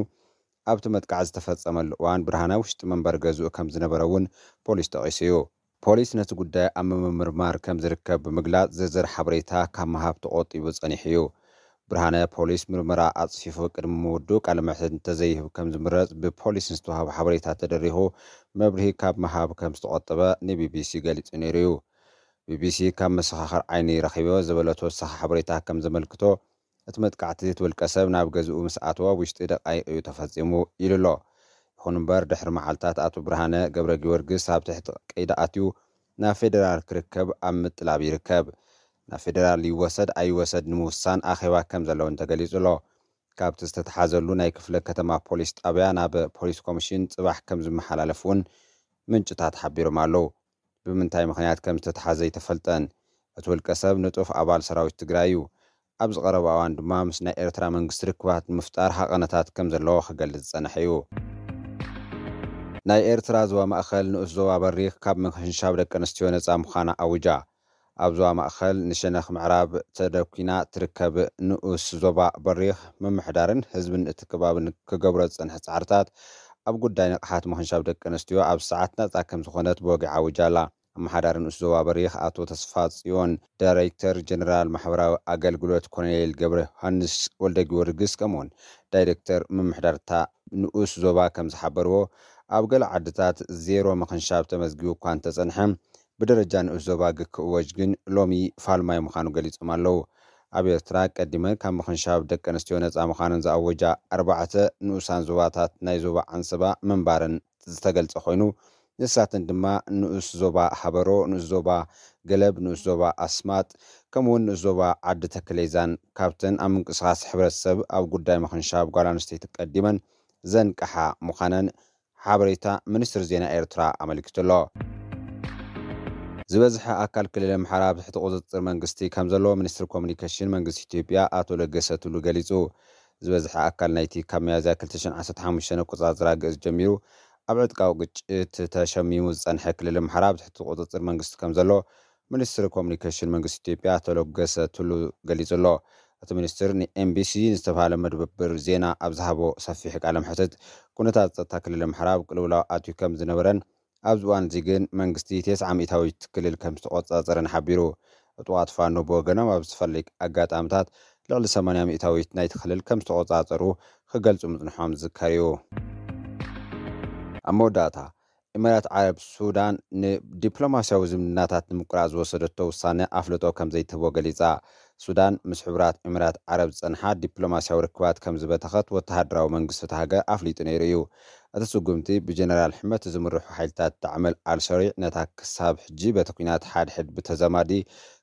ኣብቲ መጥቃዕቲ ዝተፈጸመሉ እዋን ብርሃነ ውሽጢ መንበሪ ገዝኡ ከም ዝነበረ እውን ፖሊስ ጠቒሱ እዩ። ፖሊስ ነቲ ጉዳይ ኣብ ምምርማር ከም ዝርከብ ብምግላጽ፣ ዝርዝር ሓበሬታ ካብ ምሃብ ተቖጢቡ ጸኒሑ እዩ። ብርሃነ ፖሊስ ምርመራ ኣጽፊፉ ቅድሚ ምውድኡ ቃለ መሕትት እንተዘይህብ ከም ዝምረጽ ብፖሊስ ንዝተዋህበ ሓበሬታ ተደሪኹ መብርሂ ካብ ምሃብ ከም ዝተቖጠበ ንቢቢሲ ገሊጹ ነይሩ እዩ። ቢቢሲ ካብ መሰኻኽር ዓይኒ ረኺበ ዝበሎ ተወሳኺ ሓበሬታ ከም ዘመልክቶ፣ እቲ መጥቃዕቲ እቲ ውልቀ ሰብ ናብ ገዝኡ ምስ ኣተወ ኣብ ውሽጢ ደቃይቕ እዩ ተፈጺሙ ኢሉ ኣሎ። ይኹን እምበር፣ ድሕሪ መዓልታት ኣቶ ብርሃነ ገብረ ጊዮርጊስ ኣብ ትሕቲ ቀይዲ ኣትዩ ናብ ፌዴራል ክርከብ ኣብ ምጥላብ ይርከብ። ናብ ፌዴራል ይወሰድ ኣይወሰድ ንምውሳን ኣኼባ ከም ዘለውን ተገሊጹ ኣሎ። ካብቲ ዝተተሓዘሉ ናይ ክፍለ ከተማ ፖሊስ ጣብያ ናብ ፖሊስ ኮሚሽን ጽባሕ ከም ዝመሓላለፍ እውን ምንጭታት ሓቢሮም ኣለዉ። ብምንታይ ምኽንያት ከም ዝተተሓዘ ኣይተፈልጠን። እቲ ውልቀ ሰብ ንጡፍ ኣባል ሰራዊት ትግራይ እዩ። ኣብዚ ቀረባ እዋን ድማ ምስ ናይ ኤርትራ መንግስቲ ርክባት ንምፍጣር ሃቐነታት ከም ዘለዎ ክገልጽ ዝጸንሐ እዩ። ናይ ኤርትራ ዞባ ማእኸል ንኡስ ዞባ በሪኽ ካብ ምኽንሻብ ደቂ ኣንስትዮ ነጻ ምዃና ኣውጃ። ኣብ ዞባ ማእኸል ንሸነኽ ምዕራብ ተደኲና ትርከብ ንኡስ ዞባ በሪኽ ምምሕዳርን ህዝብን እቲ ከባብን ክገብሮ ዝጸንሐ ጻዕርታት ኣብ ጉዳይ ንቕሓት ምኽንሻብ ደቂ ኣንስትዮ ኣብ ሰዓት ናጻ ከም ዝኾነት ብወግዒ ኣውጃ ኣላ። ኣመሓዳሪ ንኡስ ዞባ በሪኽ ኣቶ ተስፋ ጽዮን፣ ዳይሬክተር ጀነራል ማሕበራዊ ኣገልግሎት ኮሎኔል ገብረ ዮሃንስ ወልደ ጊዮርጊስ፣ ከምኡውን ዳይሬክተር ምምሕዳርታ ንኡስ ዞባ ከም ዝሓበርዎ፣ ኣብ ገለ ዓድታት ዜሮ ምኽንሻብ ተመዝጊቡ እኳ እንተጸንሐ፣ ብደረጃ ንኡስ ዞባ ግክ እወጅ ግን ሎሚ ፋልማይ ምዃኑ ገሊጾም ኣለዉ። ኣብ ኤርትራ ቀዲመን ካብ ምኽንሻብ ደቂ ኣንስትዮ ነጻ ምዃነን ዝኣወጃ ኣርባዕተ ንኡሳን ዞባታት ናይ ዞባ ዓንሰባ ምንባረን ዝተገልጸ ኮይኑ፣ ንሳተን ድማ ንኡስ ዞባ ሃበሮ፣ ንኡስ ዞባ ገለብ፣ ንኡስ ዞባ ኣስማጥ፣ ከምኡውን ንኡስ ዞባ ዓዲ ተክሌዛን። ካብተን ኣብ ምንቅስቓስ ሕብረተሰብ ኣብ ጉዳይ ምኽንሻብ ጓል ኣንስተይቲ ቀዲመን ዘንቀሓ ምዃነን ሓበሬታ ሚኒስትሪ ዜና ኤርትራ ኣመልኪቱ ኣሎ። ዝበዝሐ ኣካል ክልል ኣምሓራ ኣብ ትሕቲ ቁጽጽር መንግስቲ ከም ዘሎ ሚኒስትሪ ኮሙኒኬሽን መንግስቲ ኢትዮጵያ ኣቶ ለገሰ ቱሉ ገሊጹ። ዝበዝሐ ኣካል ናይቲ ካብ ሚያዝያ ክልተ ሽሕን ዓሰርተ ሓሙሽተን ኣቆጻጽራ ግእዝ ጀሚሩ ኣብ ዕጥቃዊ ግጭት ተሸሚሙ ዝጸንሐ ክልል ኣምሓራ ኣብ ትሕቲ ቁጽጽር መንግስቲ ከም ዘሎ ሚኒስትሪ ኮሙኒኬሽን መንግስቲ ኢትዮጵያ ኣቶ ለገሰ ቱሉ ገሊጹ ኣሎ። እቲ ሚኒስትር ንኤምቢሲ ንዝተባህለ መደብር ዜና ኣብ ዝሃቦ ሰፊሕ ቃለ መሕትት፣ ኩነታት ጸጥታ ክልል ኣምሓራ ኣብ ቅልውላው ኣትዩ ከም ዝነበረን ኣብዚ እዋን እዚ ግን መንግስቲ ተስዓ ሚእታዊት ክልል ከም ዝተቆጻጸረን ሓቢሩ። ዕጡቓት ፋኖ ብወገኖም ኣብ ዝተፈላለዩ ኣጋጣሚታት ልዕሊ ሰማንያ ሚእታዊት ናይቲ ክልል ከም ዝተቆጻጸሩ ክገልጹ ምጽንሖም ዝዝከር እዩ። ኣብ መወዳእታ፣ ኢማራት ዓረብ ሱዳን ንዲፕሎማስያዊ ዝምድናታት ንምቁራጽ ዝወሰደቶ ውሳነ ኣፍልጦ ከም ዘይትህቦ ገሊጻ። ሱዳን ምስ ሕቡራት ኢማራት ዓረብ ዝጸንሓ ዲፕሎማስያዊ ርክባት ከም ዝበተኸት ወተሃደራዊ መንግስቲ እታ ሃገር ኣፍሊጡ ነይሩ እዩ። እቲ ስጉምቲ ብጀነራል ሕመቲ ዝምርሑ ሓይልታት ዳዕመል ኣልሰሪዕ ነታ ክሳብ ሕጂ በቲ ኲናት ሓድሕድ ብተዛማዲ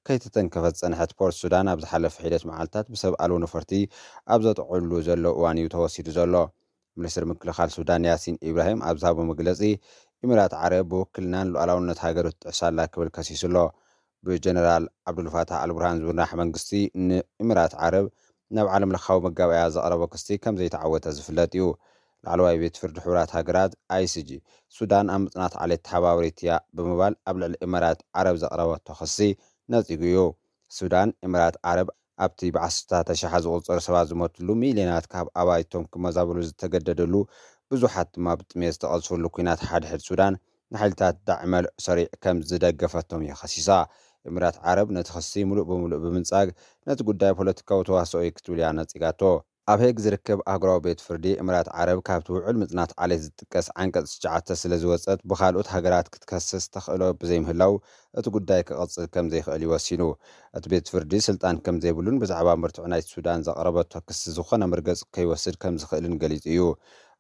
ከይተተንከፈት ዝጸንሐት ፖርት ሱዳን ኣብ ዝሓለፈ ሒደት መዓልታት ብሰብ ኣልቦ ነፈርቲ ኣብ ዘጥቕዕሉ ዘሎ እዋን እዩ ተወሲዱ ዘሎ። ሚኒስትር ምክልኻል ሱዳን ያሲን ኢብራሂም ኣብ ዝሃቦ መግለጺ፣ ኢሚራት ዓረብ ብውክልናን ሉዓላውነት ሃገሩ ትጥሕስ ኣላ ክብል ከሲሱ ኣሎ። ብጀነራል ዓብዱልፋታሕ ኣልቡርሃን ዝምራሕ መንግስቲ ንኢሚራት ዓረብ ናብ ዓለም ለኻዊ መጋበእያ ዘቕረቦ ክሲ ከም ዘይተዓወተ ዝፍለጥ እዩ። ላዕለዋይ ቤት ፍርዲ ሕቡራት ሃገራት፣ ኣይሲጂ፣ ሱዳን ኣብ ምጽናት ዓሌት ተሓባበሪት እያ ብምባል ኣብ ልዕሊ ኢማራት ዓረብ ዘቕረበቶ ክሲ ነጺጉ እዩ። ሱዳን፣ ኢማራት ዓረብ ኣብቲ ብዓሰርታት ኣሽሓት ዝቑጸሩ ሰባት ዝሞትሉ፣ ሚልዮናት ካብ ኣባይቶም ክመዛበሉ ዝተገደደሉ፣ ብዙሓት ድማ ብጥሜት ዝተቐዝፈሉ ኲናት ሓድሕድ ሱዳን፣ ንሓይልታት ዳዕመል ሰሪዕ ከም ዝደገፈቶም እያ ከሲሳ። ኢማራት ዓረብ ነቲ ክሲ ምሉእ ብምሉእ ብምንጻግ፣ ነቲ ጉዳይ ፖለቲካዊ ተዋስኦ እዩ ክትብል እያ ነጺጋቶ። ኣብ ሄግ ዝርከብ ኣህጉራዊ ቤት ፍርዲ፣ ኢማራት ዓረብ ካብቲ ውዑል ምጽናት ዓሌት ዝጥቀስ ዓንቀጽ ትሽዓተ ስለ ዝወጸት፣ ብኻልኦት ሃገራት ክትከስስ ተኽእሎ ብዘይምህላው፣ እቲ ጉዳይ ክቕጽል ከም ዘይኽእል እዩ ወሲኑ። እቲ ቤት ፍርዲ ስልጣን ከም ዘይብሉን ብዛዕባ መርትዖ ናይቲ ሱዳን ዘቕረበቶ ክሲ ዝኾነ መርገጺ ከይወስድ ከም ዝኽእልን ገሊጹ እዩ።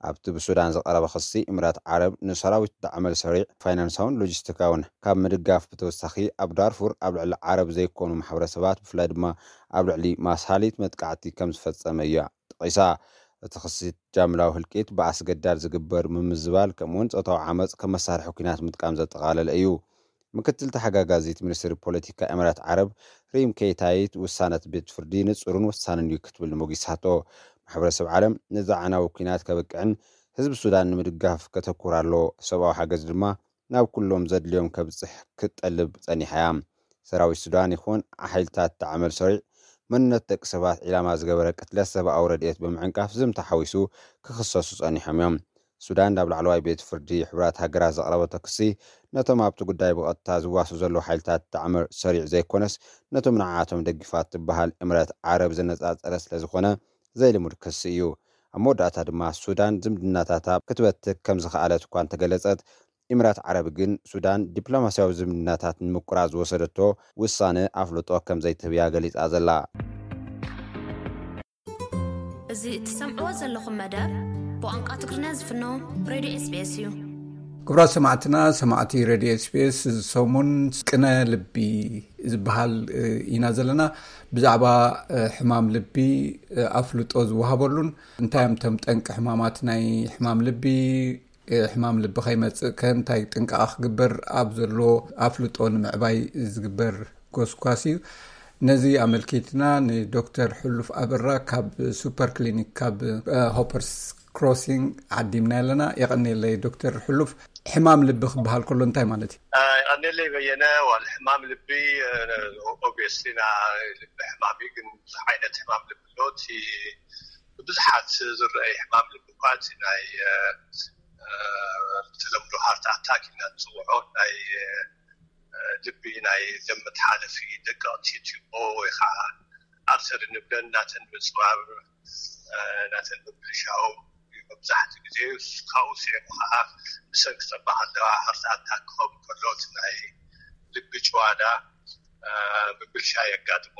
ኣብቲ ብሱዳን ዝቐረበ ክሲ፣ ኢማራት ዓረብ ንሰራዊት ዳዕመል ሰሪዕ ፋይናንሳውን ሎጂስቲካውን ካብ ምድጋፍ ብተወሳኺ፣ ኣብ ዳርፉር ኣብ ልዕሊ ዓረብ ዘይኮኑ ማሕበረሰባት፣ ብፍላይ ድማ ኣብ ልዕሊ ማሳሊት መጥቃዕቲ ከም ዝፈጸመ እያ ጠቒሳ። እቲ ክሲ ጃምላዊ ህልቂት፣ ብኣስገዳድ ዝግበር ምምዝባል፣ ከምኡውን ጾታዊ ዓመጽ ከም መሳርሒ ኲናት ምጥቃም ዘጠቓለለ እዩ። ምክትል ተሓጋጋዚት ሚኒስትሪ ፖለቲካ ኢማራት ዓረብ ሪም ኬታይት፣ ውሳነ እቲ ቤት ፍርዲ ንጹርን ወሳንን እዩ ክትብል ሞጊሳቶ። ማሕበረሰብ ዓለም ነዚ ኣዕናዊ ኲናት ከብቅዕን ህዝቢ ሱዳን ንምድጋፍ ከተኩር ኣለዎ። ሰብኣዊ ሓገዝ ድማ ናብ ኩሎም ዘድልዮም ከብጽሕ ክትጠልብ ጸኒሓ እያ። ሰራዊት ሱዳን ይኹን ሓይልታት ዳዕመል ሰሪዕ፣ መንነት ደቂ ሰባት ዒላማ ዝገበረ ቅትለት ሰብኣዊ ረድኤት ብምዕንቃፍ ዝምታ ሓዊሱ ክኽሰሱ ጸኒሖም እዮም። ሱዳን ናብ ላዕለዋይ ቤት ፍርዲ ሕቡራት ሃገራት ዘቕረበቶ ክሲ፣ ነቶም ኣብቲ ጉዳይ ብቐጥታ ዝዋሱ ዘለዉ ሓይልታት ዳዕመል ሰሪዕ ዘይኮነስ፣ ነቶም ንዓኣቶም ደጊፋ ትበሃል ኢማራት ዓረብ ዘነጻጸረ ስለ ዝኾነ፣ ዘይልሙድ ክሲ እዩ። ኣብ መወዳእታ ድማ ሱዳን ዝምድናታታ ክትበትክ ከም ዝኸኣለት እኳ እንተገለጸት፣ ኢማራት ዓረብ ግን ሱዳን ዲፕሎማስያዊ ዝምድናታት ንምቁራጽ ዝወሰደቶ ውሳነ ኣፍልጦ ከም ዘይትህብያ ገሊጻ ዘላ። እዚ እትሰምዕዎ ዘለኹም መደብ ብቋንቋ ትግርኛ ዝፍኖ ሬድዮ ኤስቢኤስ እዩ። ክቡራት ሰማዕትና፣ ሰማዕቲ ሬድዮ ኤስቢኤስ፣ እዚ ሰሙን ቅነ ልቢ ዝበሃል ኢና ዘለና። ብዛዕባ ሕማም ልቢ ኣፍልጦ ዝወሃበሉን፣ እንታይ እዮም እቶም ጠንቂ ሕማማት ናይ ሕማም ልቢ፣ ሕማም ልቢ ከይመጽእ ከ እንታይ ጥንቃቐ ክግበር ኣብ ዘሎ ኣፍልጦ ንምዕባይ ዝግበር ጎስጓስ እዩ። ነዚ ኣመልኪትና ንዶክተር ሕሉፍ ኣበራ ካብ ሱፐር ክሊኒክ ካብ ሆፐርስ ክሮሲንግ ዓዲምና ኣለና። የቐንየለይ ዶክተር ሕሉፍ። ሕማም ልቢ ክበሃል ከሎ እንታይ ማለት እዩ? የቐንየለይ በየነ። ዋል ሕማም ልቢ ኦብቪየስሊ ናይ ልቢ ሕማም እዩ፣ ግን ብዙሕ ዓይነት ሕማም ልቢ ኣሎ። እቲ ብብዙሓት ዝረኣይ ሕማም ልቢ እኳ እቲ ናይ ብተለምዶ ሃርት ኣታክ ኢና ንፅውዖ ናይ ልቢ ናይ ደም መተሓለፊ ደቀቕቲ ቲቦ ወይ ከዓ ኣርተሪ ንብለን ናተን ምፅባብ ናተን ምብልሻው መብዛሕትኡ ግዜ ካብኡ ስዒቡ ከዓ ብሰንኪ ፀባ ከለዋ ሃርት ኣታክ ክኸውን ከሎ እቲ ናይ ልቢ ጭዋዳ ምብልሻ የጋጥሞ።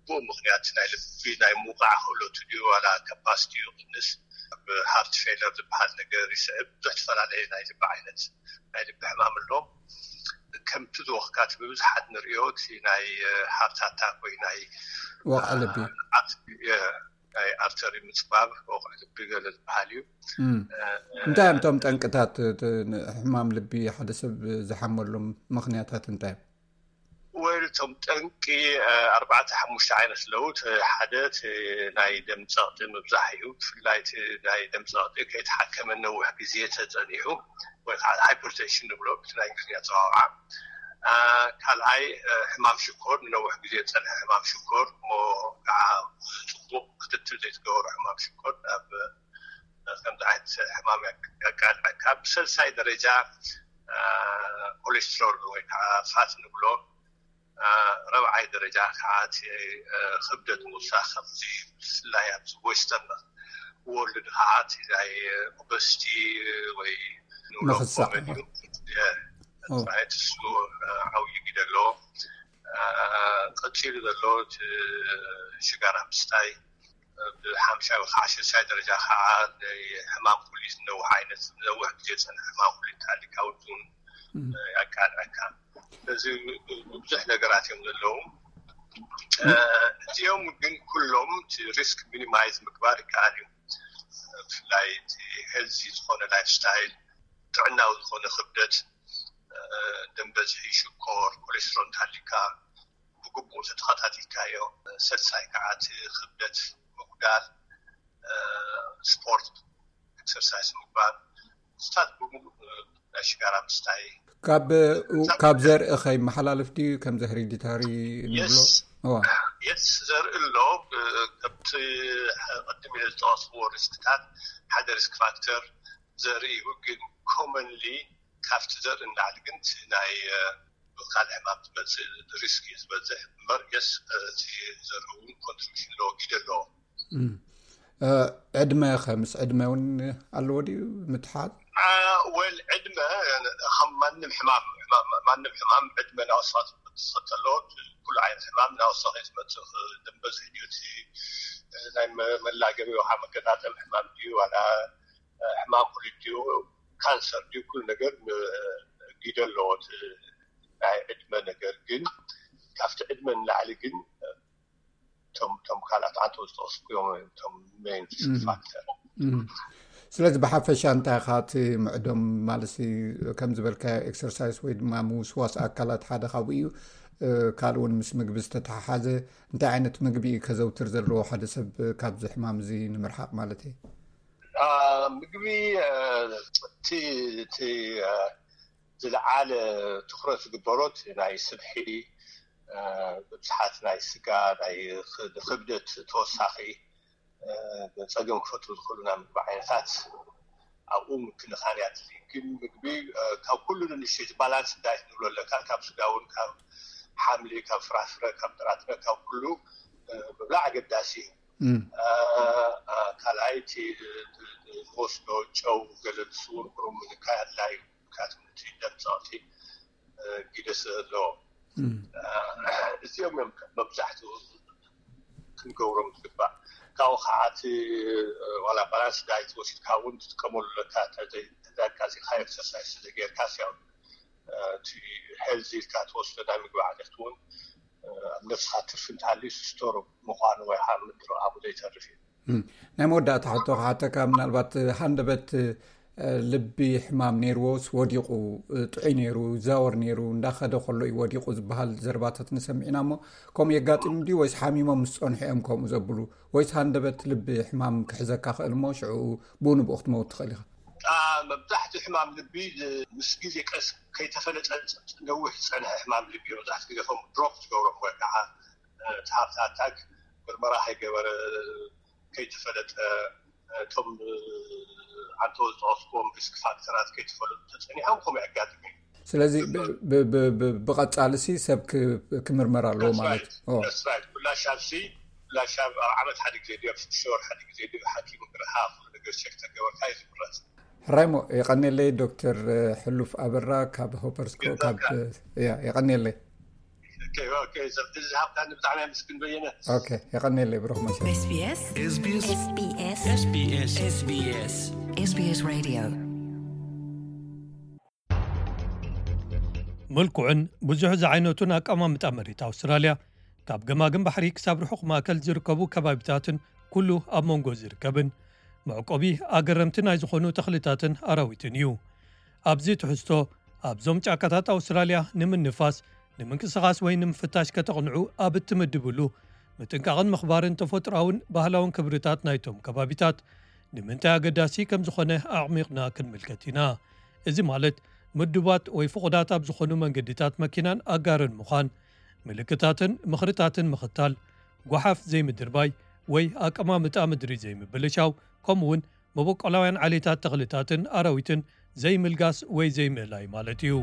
ብኡ ምኽንያት ናይ ልቢ ናይ ምውቃዕ ክእለቱ ድዩ ዋላ ካፓሲቲ ይቕንስ፣ ኣብ ሃርት ፌለር ዝበሃል ነገር ይስዕብ። ብዙሕ ዝተፈላለየ ናይ ልቢ ዓይነት ናይ ልቢ ሕማም ኣሎ። ከምቲ ዝወኽካት ብብዝሓት ንሪኦ እቲ ናይ ሃርት ኣታክ ወይ ናይ ወቕዒ ልቢ ናይ ኣርተሪ ምፅባብ ወቕዒ ልቢ ገለ ዝበሃል እዩ። እንታይ እዮም እቶም ጠንቅታት ሕማም ልቢ ሓደ ሰብ ዝሓመሎም ምኽንያታት እንታይ እዮም? ወይ እቶም ጠንቂ ኣርባዕተ ሓሙሽተ ዓይነት ኣለዉ። ሓደ ናይ ደም ፀቕጢ ምብዛሕ እዩ። ብፍላይ ናይ ደም ፀቕጢ ከይተሓከመ ነዊሕ ግዜ ተፀኒሑ ወይ ከዓ ሃይፐርቴንሽን ንብሎ ብቲ ናይ እንግሊዝኛ ኣፀዋውዓ ካልኣይ ሕማም ሽኮር፣ ንነዊሕ ግዜ ዝፀንሐ ሕማም ሽኮር እሞ ከዓ ፅቡቕ ክትትል ዘይትገበሮ ሕማም ሽኮር ናብ ከምዚ ዓይነት ሕማም የቃልዐካ። ብሰልሳይ ደረጃ ኮሌስትሮል ወይ ከዓ ፋት ንብሎ፣ ረብዓይ ደረጃ ከዓ እቲ ክብደት ምውሳኽ፣ ከምዚ ብፍላይ ኣብዚ ዌስተርን ወርልድ ከዓ እቲ ናይ ኦበስቲ ወይ ንብሎ ምኽሳዕ። ኮመን እዩ። ኦ። ራይት፣ እሱ ዓብዪ ግደ ኣለዎ። ቀፂሉ ዘሎ እቲ ሽጋራ ምስታይ፣ ብሓምሻይ ወይ ከዓ ሽሻይ ደረጃ ከዓ ሕማም ኩሊት፣ ነዊሕ ዓይነት ነዊሕ ግዜ ዝፀንሐ ሕማም ኩሊት እንተሃሊካ እውን ያቃልዐካ። ስለዚ ብዙሕ ነገራት እዮም ዘለዉ። እዚኦም ግን ኩሎም እቲ ሪስክ ሚኒማይዝ ምግባር ይከኣል እዩ። ብፍላይ እቲ ሄልዚ ዝኾነ ላይፍ ስታይል፣ ጥዕናዊ ዝኾነ ክብደት፣ ደም በዝሒ፣ ሽኮር፣ ኮሌስትሮል እንተሃሊካ ብግቡእ ተተኸታቲልካዮ። ሰልሳይ ከዓ እቲ ክብደት ምጉዳል፣ ስፖርት ኤክሰርሳይዝ ምግባር፣ ስታት ብምሉእ ናይ ሽጋራ ምስታይ። ካብ ካብ ዘርኢ ከይመሓላለፍ ድዩ? ከምዚ ሄሪዲታሪ ንብሎ? የስ እዋ። የስ ዘርኢ ኣሎ። እ፣ ከምቲ ቅድም ኢለ ዝጠቐስዎ ሪስክታት ሓደ ሪስክ ፋክተር ዘርኢ እዩ። ግን ኮመንሊ ካብቲ ዘርኢ ንላዕሊ ግን እቲ ናይ እ፣ ካልእ ሕማም ዝመፅእ ሪስክ እዩ ዝበዝሕ እምበር። የስ እቲ ዘርኢ እውን ኮንትሪቢሽን ኣለዎ፣ ግደ ኣለዎ። እም። እ፣ ዕድመ ከ ምስ ዕድመ እውን ኣለዎ ድዩ ምትሓዝ? አ፣ ወል ዕድመ ከም ማንም ሕማም፣ ሕማም ማንም ሕማም ዕድመ እናወሰኸ ዝመፅእ ከሎ፣ ኩሉ ዓይነት ሕማም እናወሰኸ ዝመፅእ፣ ደም በዝሒ ድዩ፣ እቲ ናይ መ-፣ መላገቢ ወይ ከዓ መገጣጠም ሕማም ድዩ፣ ዋላ ሕማም ኩሊት ድዩ፣ ካንሰር ድዩ፣ ኩሉ ነገር ም-፣ ግደ ኣለዎ። እቲ ናይ ዕድመ ነገር ግን ካብቲ ዕድመ ንላዕሊ ግን እቶም፣ እቶም ካልኣት ዓንተው ዝጠቐስኩ እዮም እቶም ሜን ሪስክ እም። ፋክተር። እም። ስለዚ ብሓፈሻ እንታይ ኢኻ እቲ ምዕዶም ማለት ሲ ከም ዝበልካዮ ኤክሰርሳይዝ ወይ ድማ ምውስዋስ ኣካላት ሓደ ካብኡ እዩ። እ፣ ካልእ እውን ምስ ምግቢ ዝተተሓሓዘ እንታይ ዓይነት ምግቢ እዩ ከዘውትር ዘለዎ ሓደ ሰብ ካብዚ ሕማም እዚ ንምርሓቕ ማለት እዩ? አ፣ ምግቢ፣ አ፣ እቲ፣ እቲ፣ አ፣ ዝለዓለ ትኹረት ዝግበሮ እቲ ናይ ስብሒ፣ አ፣ ብብዝሓት ናይ ስጋ፣ ናይ ኽ-፣ ክብደት ተወሳኺ፣ አ፣ ጸገም ክፈጥሩ ዝኽእሉ ናይ ምግቢ ዓይነታት ኣብኡ ምክንኻን እያ ትድሊ። ግን ምግቢ፣ አ፣ ካብ ኩሉ ንንሽቲ ባላንስ ዳይት ንብሎ ኣለካ፣ ካብ ስጋ እውን፣ ካብ ሓምሊ፣ ካብ ፍራፍረ፣ ካብ ጥራጥረ፣ ካብ ኩሉ፣ አ፣ ምብላዕ ኣገዳሲ እዩ። እም። አ፣ አ፣ ካልኣይ እቲ፣ እ፣ እ፣ ዝወስዶ ጨው ገለ ንሱ እውን ቁሩብ ምንካይ ኣድላይ እዩ። ምክንያቱ እቲ ደም ጸቕጢ፣ እ፣ ግደ ስለ ዘለዎ። እም። አ፣ እዚኦም እዮም መብዛሕትኡ ክንገብሮም ዝግባእ። ካብኡ ከዓ እቲ፣ እ፣ ዋላ ባላንስ ዳይት ወሲድካ እውን ትጥቀመሉ ኣለካ። ተዘይ-፣ ተዘይኣቃጺልካ ኤክሰርሳይዝ ስለዘይጌርካስ ያው፣ እ፣ እቲ ሄልዚ ኢልካ ትወስዶ ናይ ምግቢ ዓይነት እውን፣ እ፣ ኣብ ነብስኻ ትርፊ እንተሃልዩ ስቶር ምዃኑ ወይ ከዓ ምድሪ ኣብኡ ዘይተርፍ እዩ። እም። ናይ መወዳእታ ሕቶ ክሓተካ፣ ምናልባት ሃንደበት፣ እ፣ ልቢ ሕማም ነይርዎስ ወዲቑ፣ እ፣ ጥዑይ ነይሩ፣ ይዛወር ነይሩ፣ እንዳኸደ ከሎ እዩ ወዲቑ ዝበሃል ዘረባታት ንሰምዕ ኢና እሞ፣ ከምኡ የጋጥም ድዩ ወይስ ሓሚሞም ምስ ጸንሑ እዮም ከምኡ ዘብሉ? ወይስ ሃንደበት ልቢ ሕማም ክሕዘካ ክእል እሞ ሽዑ ብኡ ንብኡ ክትመውት ትኽእል ኢኻ? አ፣ መብዛሕትኡ ሕማም ልቢ፣ እ፣ ምስ ግዜ ቀስ ከይተፈለጠ ነዊሕ ዝጸንሐ ሕማም ልቢ እዩ። መብዛሕትኡ ግዜ ከም ድሮፕ ዝገብሮም ወይ ከዓ፣ እ፣ እቲ ሃርት ኣታክ ምርመራ ከይገበረ፣ ከይተፈለጠ፣ እቶም፣ እ፣ ዓንተው ዝጠቐስኩዎም ሪስክ ፋክተራት ከይተፈለጡ ተጸኒሖም ከምኡ የጋጥም እዩ። ስለዚ ብ-፣ ብ-፣ ብ-፣ ብ-፣ ብቐጻልሲ ሰብ ክ-፣ ክምርመር ኣለዎ ማለት እዩ። ኦ። That's right። ኩላ ሻብሲ፣ ኩላ ሻብ ኣብ ዓመት ሓደ ግዜ ድዩ፣ ኣብ ሽዱሽተ ወር ሓደ ግዜ ድዩ፣ ሓኪም እግርኻ ኩሉ ነገር ቸክ ተገበርካ እዩ ዝምረጽ። ሕራይ እሞ፣ የቐንየለይ ዶክተር ሕሉፍ ኣበራ ካብ ሆፐርስኮ፣ ካብ፣ ያ፣ የቐንየለይ። ኦኬ፣ ኦኬ፣ እዚ ዝሃብካኒ ብጣዕሚ ኣመስግን በየነ። ኦኬ፣ የቐንየለይ ብሩኽ መሸ። ኤስቢኤስ። ኤስቢኤስ። ኤስቢኤስ። ኤስቢኤስ። ኤስቢኤስ። ኤስቢኤስ ሬድዮ። ምልኩዕን ብዙሕ ዝዓይነቱን ኣቀማምጣ መሬት ኣውስትራልያ፣ ካብ ገማግም ባሕሪ ክሳብ ርሑቕ ማእከል ዝርከቡ ከባቢታትን ኩሉ ኣብ መንጎ ዝርከብን መዕቆቢ ኣገረምቲ ናይ ዝኾኑ ተኽልታትን ኣራዊትን እዩ። ኣብዚ ትሕዝቶ፣ ኣብዞም ጫካታት ኣውስትራልያ ንምንፋስ፣ ንምንቅስቓስ ወይ ንምፍታሽ ከተቕንዑ ኣብ እትምድብሉ፣ ምጥንቃቕን ምኽባርን ተፈጥሮኣውን ባህላውን ክብርታት ናይቶም ከባቢታት ንምንታይ ኣገዳሲ ከም ዝኾነ ኣዕሚቕና ክንምልከት ኢና። እዚ ማለት፣ ምዱባት ወይ ፍቑዳት ኣብ ዝኾኑ መንገድታት መኪናን ኣጋርን ምዃን፣ ምልክታትን ምኽርታትን ምኽታል፣ ጓሓፍ ዘይምድርባይ ወይ ኣቀማምጣ ምድሪ ዘይምብልሻው፣ ከምኡውን መበቆላውያን ዓሌታት ተኽልታትን ኣራዊትን ዘይምልጋስ ወይ ዘይምእላይ ማለት እዩ።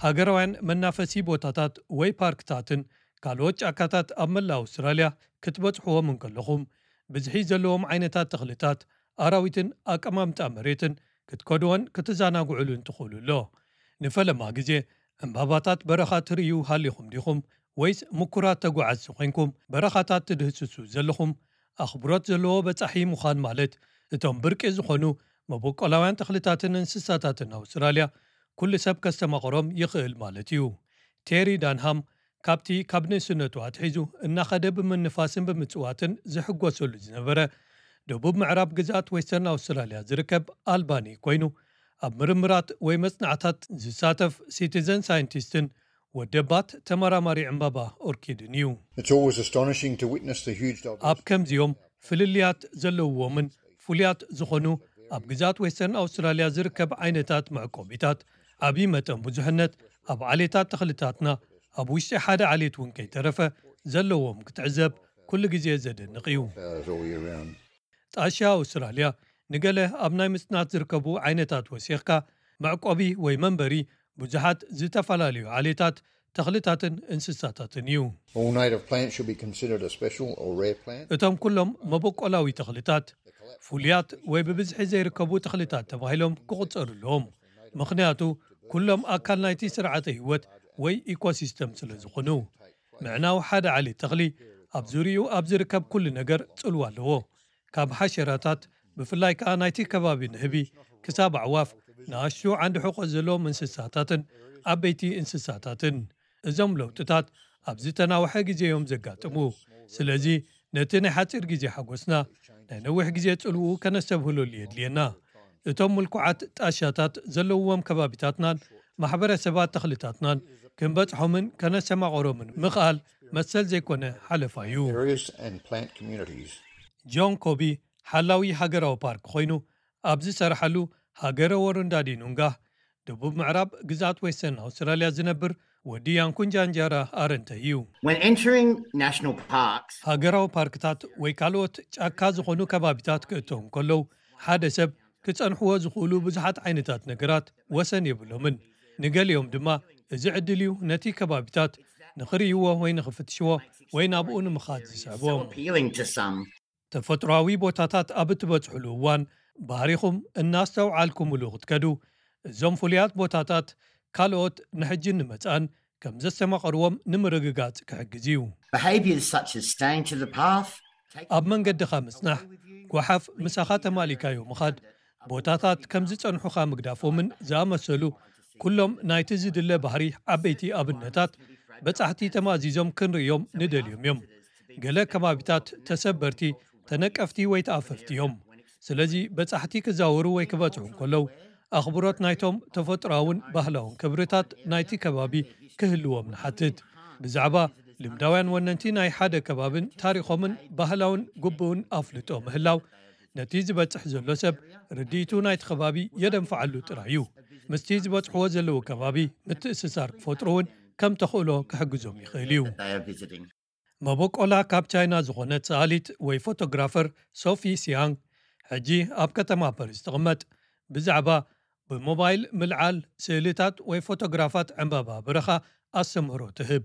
ሃገራውያን መናፈሲ ቦታታት ወይ ፓርክታትን ካልኦት ጫካታት ኣብ መላእ ኣውስትራልያ ክትበጽሕዎም እንከለኹም፣ ብዝሒ ዘለዎም ዓይነታት ተኽልታት፣ ኣራዊትን ኣቀማምጣ መሬትን ክትከድዎን ክትዘናግዑሉን ትኽእሉ ኣሎ። ንፈለማ ግዜ ዕምባባታት በረኻ ትርእዩ ሃሊኹም ዲኹም? ወይስ ምኩራት ተጓዓዝቲ ኮይንኩም በረኻታት ትድህስሱ ዘለኹም? ኣኽብሮት ዘለዎ በጻሒ ምዃን ማለት፣ እቶም ብርቂ ዝኾኑ መበቆላውያን ተኽልታትን እንስሳታትን ኣውስትራልያ ኩሉ ሰብ ከስተማቕሮም ይኽእል ማለት እዩ። ቴሪ ዳንሃም ካብቲ ካብ ንእስነቱ ኣትሒዙ እናኸደ ብምንፋስን ብምጽዋትን ዝሕጎሰሉ ዝነበረ ደቡብ ምዕራብ ግዝኣት ዌስተርን ኣውስትራልያ ዝርከብ ኣልባኒ ኮይኑ፣ ኣብ ምርምራት ወይ መጽናዕታት ዝሳተፍ ሲቲዘን ሳይንቲስትን ወደባት ተመራማሪ ዕምባባ ኦርኪድን እዩ። It's always astonishing to witness the huge ኣብ diversity ከምዚኦም ፍልልያት ዘለውዎምን ፍሉያት ዝኾኑ ኣብ ግዛት ዌስተርን ኣውስትራልያ ዝርከብ ዓይነታት መዕቆቢታት ዓብዪ መጠን ብዙሕነት ኣብ ዓሌታት ተኽልታትና ኣብ ውሽጢ ሓደ ዓሌት እውን ከይተረፈ ዘለዎም ክትዕዘብ ኩሉ ግዜ ዘደንቕ እዩ። That's all year round. ጣሻ ኣውስትራልያ ንገለ ኣብ ናይ ምጽናት ዝርከቡ ዓይነታት ወሲኽካ መዕቆቢ ወይ መንበሪ ብዙሓት ዝተፈላለዩ ዓሌታት ተኽልታትን እንስሳታትን እዩ። All native plants should be considered a special or rare plant. እቶም ኩሎም መበቆላዊ ተኽልታት ፍሉያት ወይ ብብዝሒ ዘይርከቡ ተኽልታት ተባሂሎም ክቑጸሩ ኣለዎም። ምኽንያቱ ኩሎም ኣካል ናይቲ ስርዓተ ህይወት ወይ ኢኮሲስተም ስለ ዝኾኑ። ምዕናው ሓደ ዓሌት ተኽሊ ኣብ ዙሪኡ ኣብ ዝርከብ ኩሉ ነገር ጽልዋ ኣለዎ። ካብ ሓሸራታት ብፍላይ ከኣ ናይቲ ከባቢ ንህቢ ክሳብ ኣዕዋፍ ንኣሽቱ ዓንዲ ሕቆ ዘለዎም እንስሳታትን ዓበይቲ እንስሳታትን። እዞም ለውጥታት ኣብ ዝተናውሐ ግዜ እዮም ዘጋጥሙ። ስለዚ ነቲ ናይ ሓጺር ግዜ ሓጎስና ናይ ነዊሕ ግዜ ጽልውኡ ከነስተብህለሉ የድልየና። እቶም ምልኩዓት ጣሻታት ዘለውዎም ከባቢታትናን ማሕበረሰባት ተኽልታትናን ክንበጽሖምን ከነሰማቐሮምን ምኽኣል መሰል ዘይኮነ ሓለፋ እዩ። Areas and plant communities. ጆን ኮቢ ሓላዊ ሃገራዊ ፓርክ ኮይኑ ኣብ ዝሰርሓሉ ሃገረ ወሩንዳዲ ኑንጋ ደቡብ ምዕራብ ግዛት ዌስተርን ኣውስትራልያ ዝነብር ወዲ ያንኩንጃንጃራ ኣረንተ እዩ። When entering national parks, ሃገራዊ ፓርክታት ወይ ካልኦት ጫካ ዝኾኑ ከባቢታት ክእተው እንከለዉ ሓደ ሰብ ክጸንሕዎ ዝኽእሉ ብዙሓት ዓይነታት ነገራት ወሰን የብሎምን። ንገሊኦም ድማ እዚ ዕድል እዩ ነቲ ከባቢታት ንኽርእይዎ ወይ ንኽፍትሽዎ ወይ ናብኡ ንምኻድ ዝስዕቦም። Appealing to some. ተፈጥሮኣዊ ቦታታት ኣብ እትበጽሕሉ እዋን ባህሪኹም እናስተውዓልኩምሉ ክትከዱ እዞም ፍሉያት ቦታታት ካልኦት ንሕጂ ንመጻን ከም ዘስተማቐርዎም ንምርግጋጽ ክሕግዝ እዩ። Behaviours such as staying to the path, taking ኣብ መንገድኻ ምጽናሕ፣ ጓሓፍ ምሳኻ ተማሊካዮ ምኻድ፣ ቦታታት ከም ዝጸንሑኻ ምግዳፎምን ዝኣመሰሉ ኩሎም ናይቲ ዝድለ ባህሪ ዓበይቲ ኣብነታት በጻሕቲ ተማእዚዞም ክንርእዮም ንደልዮም እዮም። ገለ ከባቢታት ተሰበርቲ፣ ተነቀፍቲ ወይ ተኣፈፍቲ እዮም። ስለዚ በጻሕቲ ክዛወሩ ወይ ክበጽሑ እንከለዉ ኣኽብሮት ናይቶም ተፈጥሮኣውን ባህላውን ክብርታት ናይቲ ከባቢ ክህልዎም ንሓትት። ብዛዕባ ልምዳውያን ወነንቲ ናይ ሓደ ከባብን ታሪኾምን ባህላውን ግቡእን ኣፍልጦ ምህላው ነቲ ዝበጽሕ ዘሎ ሰብ ርድኢቱ ናይቲ ከባቢ የደንፍዓሉ ጥራይ እዩ። ምስቲ ዝበጽሕዎ ዘለዉ ከባቢ ምትእስሳር ክፈጥሩ እውን ከም ተኽእሎ ክሕግዞም ይኽእል እዩ። They are visiting. መበቆላ ካብ ቻይና ዝኾነት ሰኣሊት ወይ ፎቶግራፈር ሶፊ ሲያንግ ሕጂ ኣብ ከተማ ፓሪስ ትቕመጥ። ብዛዕባ ብሞባይል ምልዓል ስእልታት ወይ ፎቶግራፋት ዕምባባ በረኻ ኣስተምህሮ ትህብ።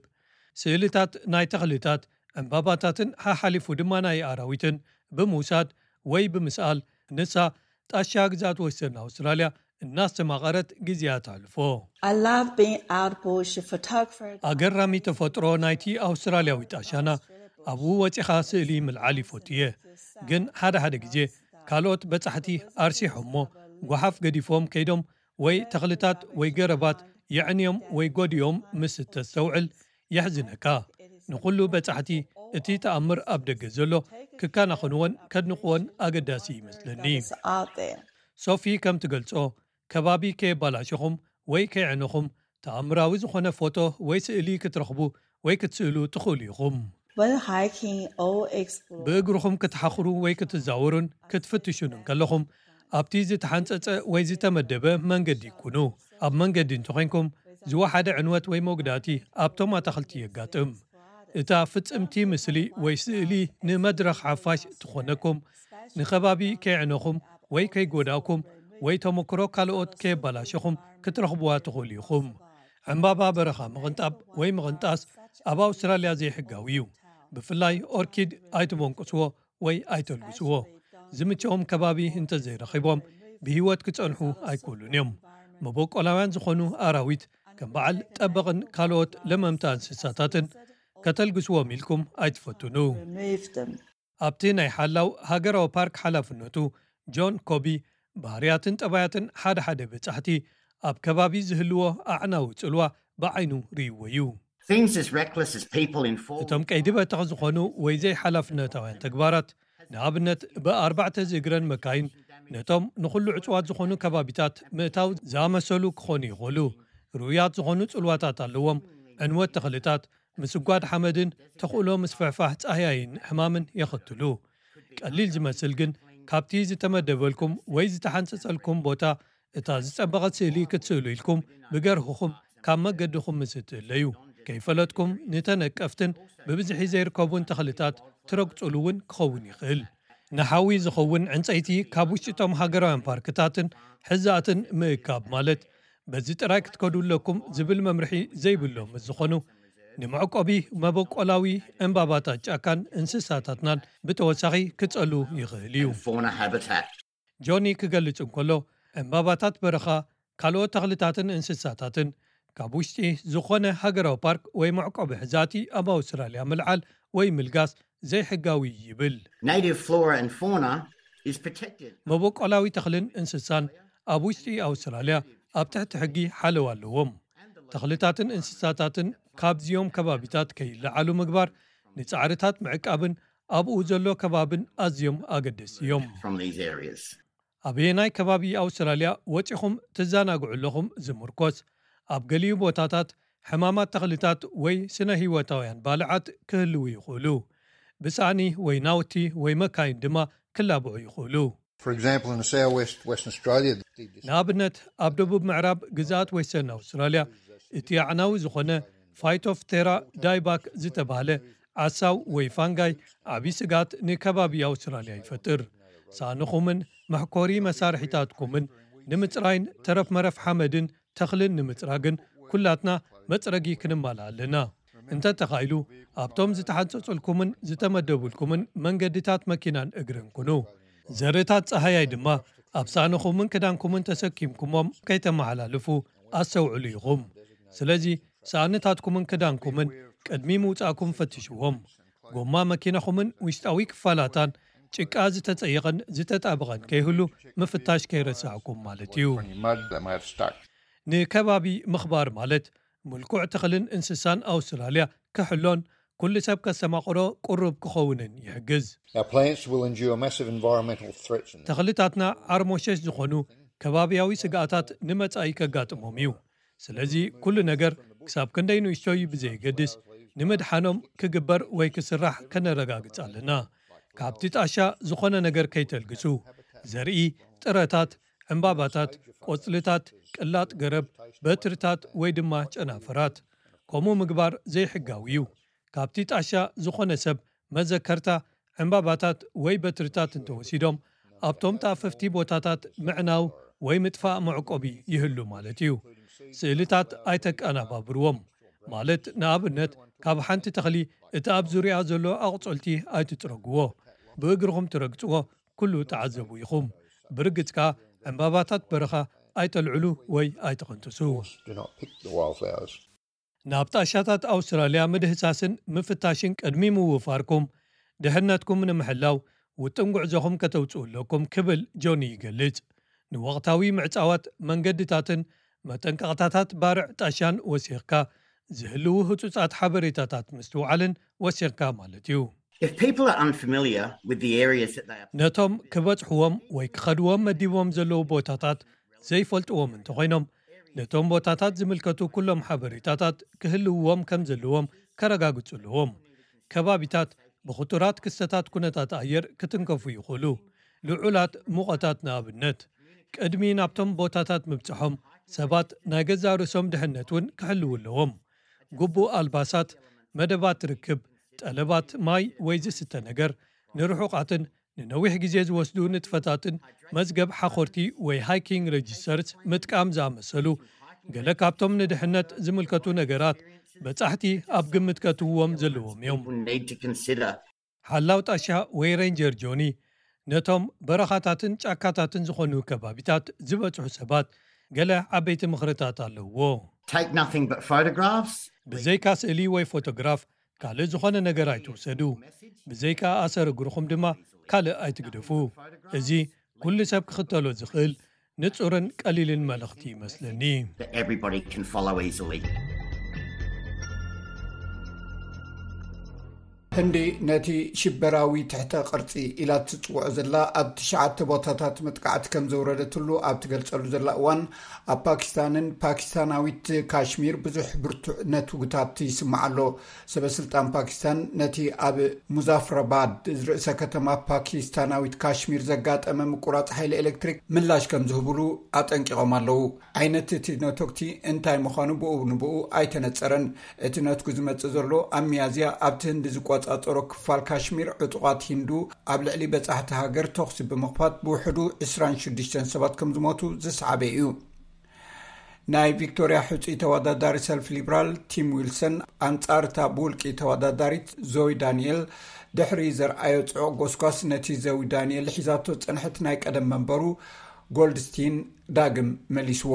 ስእልታት ናይ ተኽልታት ዕምባባታትን ሓሓሊፉ ድማ ናይ ኣራዊትን ብምውሳድ ወይ ብምስኣል ንሳ ጣሻ ግዛት ወስተርን ኣውስትራልያ እናስተማቐረት ግዜያ ተሕልፎ። I love being out bush photographer. ኣገራሚ ተፈጥሮ ናይቲ ኣውስትራልያዊ ጣሻና ኣብኡ ወፂኻ ስእሊ ምልዓል ይፈቱ እየ። ግን ሓደ ሓደ ግዜ ካልኦት በጻሕቲ ኣርሲሖሞ ጓሓፍ ገዲፎም ከይዶም ወይ ተኽልታት ወይ ገረባት የዕንዮም ወይ ጎዲኦም ምስ እተስተውዕል የሕዝነካ። ንኹሉ በጻሕቲ እቲ ተኣምር ኣብ ደገ ዘሎ ክከናኸንዎን ከድንቕዎን ኣገዳሲ ይመስለኒ። It's out there. ሶፊ ከም ትገልጾ ከባቢ ከየባላሸኹም ወይ ከየዕነኹም ተኣምራዊ ዝኾነ ፎቶ ወይ ስእሊ ክትረኽቡ ወይ ክትስእሉ ትኽእሉ ኢኹም። When hiking or exploring, ብእግርኹም ክትሓኽሩ ወይ ክትዛወሩን ክትፍትሹን እንከለኹም ኣብቲ ዝተሓንጸጸ ወይ ዝተመደበ መንገዲ ኩኑ። ኣብ መንገዲ እንተኾይንኩም ዝወሓደ ዕንወት ወይ መጉዳእቲ ኣብቶም ኣታኽልቲ የጋጥም። እታ ፍጽምቲ ምስሊ ወይ ስእሊ ንመድረኽ ሓፋሽ ትኾነኩም፣ ንኸባቢ ከየዕነኹም ወይ ከይጎዳእኩም ወይ ተመክሮ ካልኦት ከየባላሸኹም ክትረኽብዋ ትኽእሉ ኢኹም። ዕምባባ በረኻ ምቕንጣብ ወይ ምቕንጣስ ኣብ ኣውስትራልያ ዘይሕጋዊ እዩ። ብፍላይ ኦርኪድ ኣይትቦንቅስዎ ወይ ኣይተልግስዎ። ዝምቸዎም ከባቢ እንተዘይረኺቦም ብህይወት ክጸንሑ ኣይክእሉን እዮም። መበቆላውያን ዝኾኑ ኣራዊት ከም በዓል ጠበቕን ካልኦት ለመምታ እንስሳታትን ከተልግስዎም ኢልኩም ኣይትፈትኑ። remove them. ኣብቲ ናይ ሓላው ሃገራዊ ፓርክ ሓላፍነቱ ጆን ኮቢ ባህርያትን ጠባያትን ሓደ ሓደ በጻሕቲ ኣብ ከባቢ ዝህልዎ ኣዕናዊ ጽልዋ ብዓይኑ ርእይዎ እዩ። Things as reckless as people in four እቶም ቀይዲ በተኽ ዝኾኑ ወይ ዘይሓላፍነታውያን ተግባራት ንኣብነት ብኣርባዕተ ዝእግረን መካይን ነቶም ንኹሉ ዕጽዋት ዝኾኑ ከባቢታት ምእታው ዝኣመሰሉ ክኾኑ ይኽእሉ። ርኡያት ዝኾኑ ጽልዋታት ኣለዎም። ዕንወት ተኽልታት፣ ምስጓድ ሓመድን ተኽእሎ ምስፍሕፋሕ ጻህያይን ሕማምን የኸትሉ። ቀሊል ዝመስል ግን፣ ካብቲ ዝተመደበልኩም ወይ ዝተሓንጸጸልኩም ቦታ እታ ዝጸበቐት ስእሊ ክትስእሉ ኢልኩም ብገርህኹም ካብ መገድኹም ምስ እትእለዩ፣ ከይፈለጥኩም ንተነቀፍትን ብብዝሒ ዘይርከቡን ተኽልታት ትረግጹሉ እውን ክኸውን ይኽእል። ንሓዊ ዝኸውን ዕንጸይቲ ካብ ውሽጢ እቶም ሃገራውያን ፓርክታትን ሕዛእትን ምእካብ ማለት በዚ ጥራይ ክትከዱ ኣለኩም ዝብል መምርሒ ዘይብሎም ምስ ዝኾኑ፣ ንመዕቆቢ መበቆላዊ ዕምባባታት ጫካን እንስሳታትናን ብተወሳኺ ክጸሉ ይኽእል እዩ። Fauna habitat. ጆኒ ክገልጽ እንከሎ፣ ዕምባባታት በረኻ፣ ካልኦት ተኽልታትን እንስሳታትን ካብ ውሽጢ ዝኾነ ሃገራዊ ፓርክ ወይ መዕቆቢ ሕዛእቲ ኣብ ኣውስትራልያ ምልዓል ወይ ምልጋስ ዘይሕጋዊ ይብል። Native flora and fauna is protected. መበቆላዊ ተኽልን እንስሳን ኣብ ውሽጢ ኣውስትራልያ ኣብ ትሕቲ ሕጊ ሓለዋ ኣለዎም። ተኽልታትን እንስሳታትን ካብዚኦም ከባቢታት ከይለዓሉ ምግባር፣ ንጻዕርታት ምዕቃብን ኣብኡ ዘሎ ከባብን ኣዝዮም ኣገደስቲ እዮም። From these areas. ኣበየናይ ከባቢ ኣውስትራልያ ወጺኹም ትዘናግዑ ኣለኹም ዝምርኮስ፣ ኣብ ገሊኡ ቦታታት ሕማማት ተኽልታት ወይ ስነ ህይወታውያን ባልዓት ክህልዉ ይኽእሉ። ብሳእኒ ወይ ናውቲ ወይ መካይን ድማ ክላብዑ ይኽእሉ። For example, in the southwest Western Australia, the ንኣብነት፣ ኣብ ደቡብ ምዕራብ ግዝኣት ዌስተርን ኣውስትራልያ እቲ ኣዕናዊ ዝኾነ ፋይቶፍቴራ ዳይባክ ዝተባህለ ዓሳው ወይ ፋንጋይ ዓብዪ ስግኣት ንከባቢ ኣውስትራልያ ይፈጥር። ሳእንኹምን መሕኮሪ መሳርሒታትኩምን ንምጽራይን ተረፍ መረፍ ሓመድን ተኽልን ንምጽራግን ኩላትና መጽረጊ ክንማልእ ኣለና። እንተተኻኢሉ ኣብቶም ዝተሓንጸጹልኩምን ዝተመደቡልኩምን መንገድታት መኪናን እግርን ኩኑ። ዘርታት ጸሃያይ ድማ ኣብ ሳእንኹምን ክዳንኩምን ተሰኪምኩሞም ከይተመሓላልፉ ኣስተውዕሉ ኢኹም። ስለዚ ሳእንታትኩምን ክዳንኩምን ቅድሚ ምውጻእኩም ፈትሽዎም። ጎማ መኪናኹምን ውሽጣዊ ክፋላታን ጭቃ ዝተጸየቐን ዝተጣበቐን ከይህሉ ምፍታሽ ከይረሳዕኩም ማለት እዩ። Any mud that might have stuck. ንከባቢ ምኽባር ማለት ምልኩዕ ተኽልን እንስሳን ኣውስትራልያ ክሕሎን ኩሉ ሰብ ከስተማቕሮ ቅሩብ ክኸውንን ይሕግዝ። Our plants will endure massive environmental threats. And ተኽልታትና ዓርሞሸሽ ዝኾኑ ከባብያዊ ስግኣታት ንመጻኢ ከጋጥሞም እዩ። ስለዚ ኩሉ ነገር ክሳብ ክንደይ ንእሽቶይ ብዘየገድስ ንምድሓኖም ክግበር ወይ ክስራሕ ከነረጋግጽ ኣለና። ካብቲ ጣሻ ዝኾነ ነገር ከይተልግሱ፣ ዘርኢ፣ ጥረታት፣ ዕምባባታት፣ ቆጽልታት፣ ቅላጥ ገረብ፣ በትርታት ወይ ድማ ጨናፍራት። ከምኡ ምግባር ዘይሕጋዊ እዩ። ካብቲ ጣሻ ዝኾነ ሰብ መዘከርታ፣ ዕምባባታት ወይ በትርታት እንተወሲዶም ኣብቶም ተኣፈፍቲ ቦታታት ምዕናው ወይ ምጥፋእ መዕቆቢ ይህሉ ማለት እዩ። ስእልታት ኣይተቀናባብርዎም። ማለት ንኣብነት ካብ ሓንቲ ተኽሊ እቲ ኣብ ዙሪያ ዘሎ ኣቑጽልቲ ኣይትጽረግዎ። ብእግርኹም ትረግጽዎ ኩሉ ተዓዘቡ ኢኹም። ብርግጽ ከኣ ዕምባባታት በረኻ ኣይተልዕሉ ወይ ኣይትቕንጥሱ። Do not pick the wildflowers. ናብ ጣሻታት ኣውስትራልያ ምድህሳስን ምፍታሽን ቅድሚ ምውፋርኩም ድሕነትኩም ንምሕላው ውጥን ጉዕዞኹም ከተውጽኡ ኣለኩም ክብል ጆኒ ይገልጽ። ንወቕታዊ ምዕጻዋት መንገድታትን መጠንቀቕታታት ባርዕ ጣሻን ወሲኽካ ዝህልዉ ህጹጻት ሓበሬታታት ምስትውዓልን ወሲኽካ ማለት እዩ። If people are unfamiliar with the areas that they are ነቶም ክበጽሕዎም ወይ ክኸድዎም መዲቦም ዘለዉ ቦታታት ዘይፈልጥዎም እንተኾይኖም፣ ነቶም ቦታታት ዝምልከቱ ኩሎም ሓበሬታታት ክህልውዎም ከም ዘለዎም ከረጋግጹ ኣለዎም። ከባቢታት ብኽቱራት ክስተታት ኩነታት ኣየር ክትንከፉ ይኽእሉ። ልዑላት ሙቐታት ንኣብነት። ቅድሚ ናብቶም ቦታታት ምብጽሖም ሰባት ናይ ገዛእ ርእሶም ድሕነት እውን ክሕልዉ ኣለዎም። ግቡእ ኣልባሳት፣ መደባት ርክብ፣ ጠለባት ማይ ወይ ዝስተ ነገር፣ ንርሑቓትን ንነዊሕ ግዜ ዝወስዱ ንጥፈታትን መዝገብ ሓኾርቲ ወይ ሃይኪንግ ሬጅስተርስ ምጥቃም ዝኣመሰሉ ገለ ካብቶም ንድሕነት ዝምልከቱ ነገራት በጻሕቲ ኣብ ግምት ከእትውዎም ዘለዎም እዮም። People need to consider. ሓላው ጣሻ ወይ ሬንጀር ጆኒ ነቶም በረኻታትን ጫካታትን ዝኾኑ ከባቢታት ዝበጽሑ ሰባት ገለ ዓበይቲ ምኽርታት ኣለውዎ። Take nothing but photographs. ብዘይካ ስእሊ ወይ ፎቶግራፍ ካልእ ዝኾነ ነገር ኣይትውሰዱ። ብዘይካ ኣሰር እግርኹም ድማ ካልእ ኣይትግደፉ። እዚ ኩሉ ሰብ ክኽተሎ ዝኽእል ንጹርን ቀሊልን መልእኽቲ ይመስለኒ። That everybody can follow easily. ህንዲ ነቲ ሽበራዊ ትሕተ ቅርጺ ኢላ ትጽውዖ ዘላ ኣብ ትሽዓተ ቦታታት መጥቃዕቲ ከም ዘውረደትሉ ኣብ ትገልጸሉ ዘላ እዋን፣ ኣብ ፓኪስታንን ፓኪስታናዊት ካሽሚር ብዙሕ ብርቱዕ ነትጉታት ይስማዕ ኣሎ። ሰበ ስልጣን ፓኪስታን ነቲ ኣብ ሙዛፍራባድ ርእሰ ከተማ ፓኪስታናዊት ካሽሚር ዘጋጠመ ምቁራጽ ሓይሊ ኤሌክትሪክ ምላሽ ከም ዝህብሉ ኣጠንቂቖም ኣለዉ። ዓይነት እቲ ነቶግቲ እንታይ ምዃኑ ብኡ ንብኡ ኣይተነጸረን። እቲ ነትጉ ዝመጽእ ዘሎ ኣብ ሚያዝያ ኣብቲ ህንዲ ዝቆጻጸሮ ክፋል ካሽሚር ዕጡቓት ሂንዱ ኣብ ልዕሊ በጻሕቲ ሃገር ተኹሲ ብምኽፋት ብውሕዱ ዕስራን ሽዱሽተን ሰባት ከም ዝሞቱ ዝሰዓበ እዩ። ናይ ቪክቶርያ ሕጹይ ተወዳዳሪ ሰልፍ ሊብራል ቲም ዊልሰን ኣንጻር እታ ብውልቂ ተወዳዳሪት ዞይ ዳንኤል ድሕሪ ዘርኣዮ ጽዑቕ ጎስጓስ ነቲ ዞይ ዳንኤል ሒዛቶ ዝጸንሐት ናይ ቀደም መንበሩ ጎልድስቲን ዳግም መሊስዎ።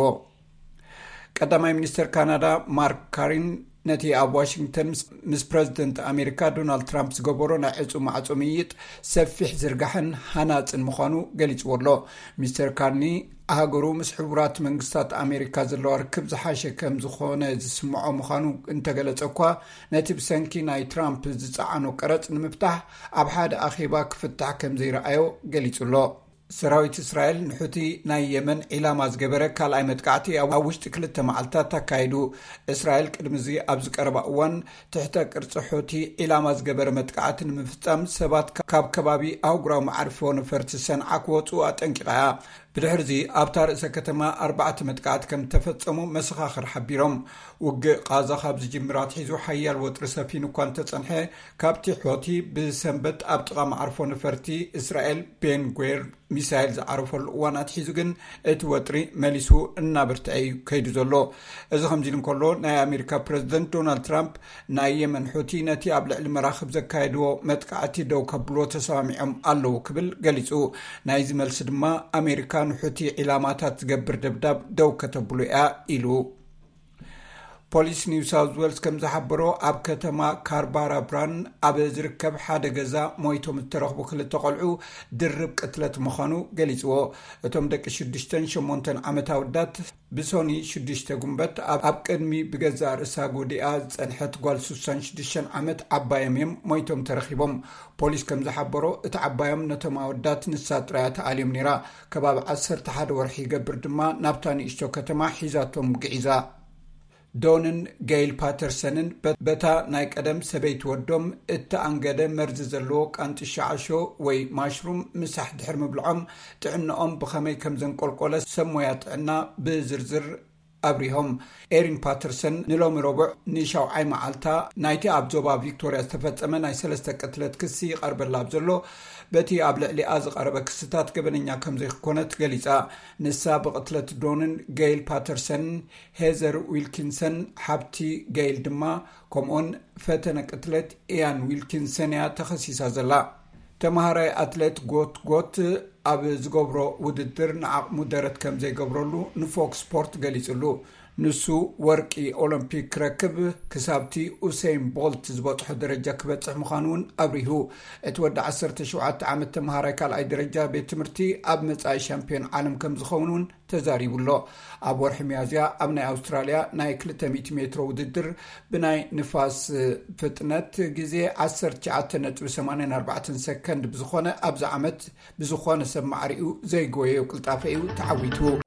ቀዳማይ ሚኒስተር ካናዳ ማርክ ካሪን ነቲ ኣብ ዋሽንግተን ምስ ፕረዚደንት ኣሜሪካ ዶናልድ ትራምፕ ዝገበሮ ናይ ዕጹ ማዕጹ ምይይጥ ሰፊሕ ዝርጋሕን ሃናጽን ምዃኑ ገሊጽዎ ኣሎ። ሚስተር ካርኒ ሃገሩ ምስ ሕቡራት መንግስታት ኣሜሪካ ዘለዋ ርክብ ዝሓሸ ከም ዝኾነ ዝስምዖ ምዃኑ እንተገለጸ እኳ፣ ነቲ ብሰንኪ ናይ ትራምፕ ዝጸዓኖ ቀረጽ ንምፍታሕ ኣብ ሓደ ኣኼባ ክፍታሕ ከም ዘይረኣዮ ገሊጹ ኣሎ። ሰራዊት እስራኤል ንሑቲ ናይ የመን ዒላማ ዝገበረ ካልኣይ መጥቃዕቲ ኣብ ውሽጢ ክልተ መዓልታት ኣካይዱ። እስራኤል ቅድሚ እዚ ኣብ ዝቀረባ እዋን ትሕተ ቅርጺ ሑቲ ዒላማ ዝገበረ መጥቃዕቲ ንምፍጻም ሰባት ካብ ከባቢ ኣህጉራዊ መዓርፎ ነፈርቲ ሰንዓ ክወጹ ኣጠንቂቓ እያ። ብድሕርዚ ኣብታ ርእሰ ከተማ ኣርባዕተ መጥቃዕቲ ከም ዝተፈጸሙ መሰኻኽር ሓቢሮም። ውግእ ቃዛ ካብ ዝጅምር ኣትሒዙ ሓያል ወጥሪ ሰፊኑ እኳ እንተጸንሐ፣ ካብቲ ሑቲ ብሰንበት ኣብ ጥቓ መዓርፎ ነፈርቲ እስራኤል ቤን ጉዌር ሚሳይል ዝዓረፈሉ እዋን ኣትሒዙ ግን እቲ ወጥሪ መሊሱ እናበርትዐ እዩ ከይዱ ዘሎ። እዚ ከምዚ ኢሉ እንከሎ፣ ናይ ኣሜሪካ ፕረዚደንት ዶናልድ ትራምፕ ናይ የመን ሑቲ ነቲ ኣብ ልዕሊ መራኽብ ዘካየድዎ መጥቃዕቲ ደው ከብልዎ ተሰማሚዖም ኣለዉ ክብል ገሊጹ። ናይዚ መልሲ ድማ ኣሜሪካ ንሑቲ ዒላማታት ዝገብር ደብዳብ ደው ከተብሎ እያ ኢሉ። ፖሊስ ኒው ሳውዝ ዌልስ ከም ዝሓበሮ፣ ኣብ ከተማ ካርባራብራን ኣብ ዝርከብ ሓደ ገዛ ሞይቶም ዝተረኽቡ ክልተ ቆልዑ ድርብ ቅትለት ምዃኑ ገሊጽዎ። እቶም ደቂ ሽዱሽተን ሸሞንተን ዓመት ኣወዳት ብሶኒ ሽዱሽተ ጉንበት ኣብ፣ ኣብ ቅድሚ ብገዛእ ርእሳ ጎዲኣ ዝጸንሐት ጓል ስሳን ሽዱሽተን ዓመት ዓባዮም እዮም ሞይቶም ተረኺቦም። ፖሊስ ከም ዝሓበሮ፣ እቲ ዓባዮም ነቶም ኣወዳት ንሳ ጥራያ ተኣልዮም ነይራ። ከባቢ ዓሰርተ ሓደ ወርሒ ይገብር ድማ ናብታ ንእሽቶ ከተማ ሒዛቶም ግዒዛ። ዶንን ገይል ፓተርሰንን በ-፣ በታ ናይ ቀደም ሰበይቲ ወዶም እተኣንገደ መርዚ ዘለዎ ቃንጢ ሸዓሾ ወይ ማሽሩም ምሳሕ ድሕሪ ምብልዖም ጥዕናኦም ብኸመይ ከም ዘንቆልቆለ ሰብ ሞያ ጥዕና ብዝርዝር ኣብሪሆም። ኤሪን ፓተርሰን ንሎሚ ረቡዕ ንሻውዓይ መዓልታ ናይቲ ኣብ ዞባ ቪክቶርያ ዝተፈጸመ ናይ ሰለስተ ቅትለት ክሲ ይቐርበላ ኣብ ዘሎ፣ በቲ ኣብ ልዕሊኣ ዝቐረበ ክስታት ገበነኛ ከም ዘይኮነት ገሊጻ። ንሳ ብቕትለት ዶንን ገይል ፓተርሰንን ሄዘር ዊልኪንሰን፣ ሓብቲ ገይል ድማ፣ ከምኡውን ፈተነ ቅትለት ኢያን ዊልኪንሰን እያ ተኸሲሳ ዘላ። ተማሃራይ ኣትሌት ጎት ጎት ኣብ ዝገብሮ ውድድር ንዓቕሙ ደረት ከም ዘይገብረሉ ንፎክስ ስፖርት ገሊጹሉ። ንሱ ወርቂ ኦሎምፒክ ክረክብ ክሳብቲ ኡሰይን ቦልት ዝበጽሖ ደረጃ ክበጽሕ ምዃኑ እውን ኣብሪሁ። እቲ ወዲ ዓሰርተ ሸውዓተ ዓመት ተማሃራይ ካልኣይ ደረጃ ቤት ትምህርቲ ኣብ መጻኢ ሻምፒዮን ዓለም ከም ዝኸውን እውን ተዛሪቡ ኣሎ። ኣብ ወርሒ ሚያዝያ ኣብ ናይ ኣውስትራልያ ናይ ክልተ ሚእቲ ሜትሮ ውድድር ብናይ ንፋስ ፍጥነት ግዜ ዓሰርተ ትሽዓተ ነጥቢ ሰማንያን ኣርባዕተን ሰከንድ ብዝኾነ ኣብዚ ዓመት ብዝኾነ ሰብ ማዕሪኡ ዘይጎየዮ ቅልጣፈ እዩ ተዓዊቱ።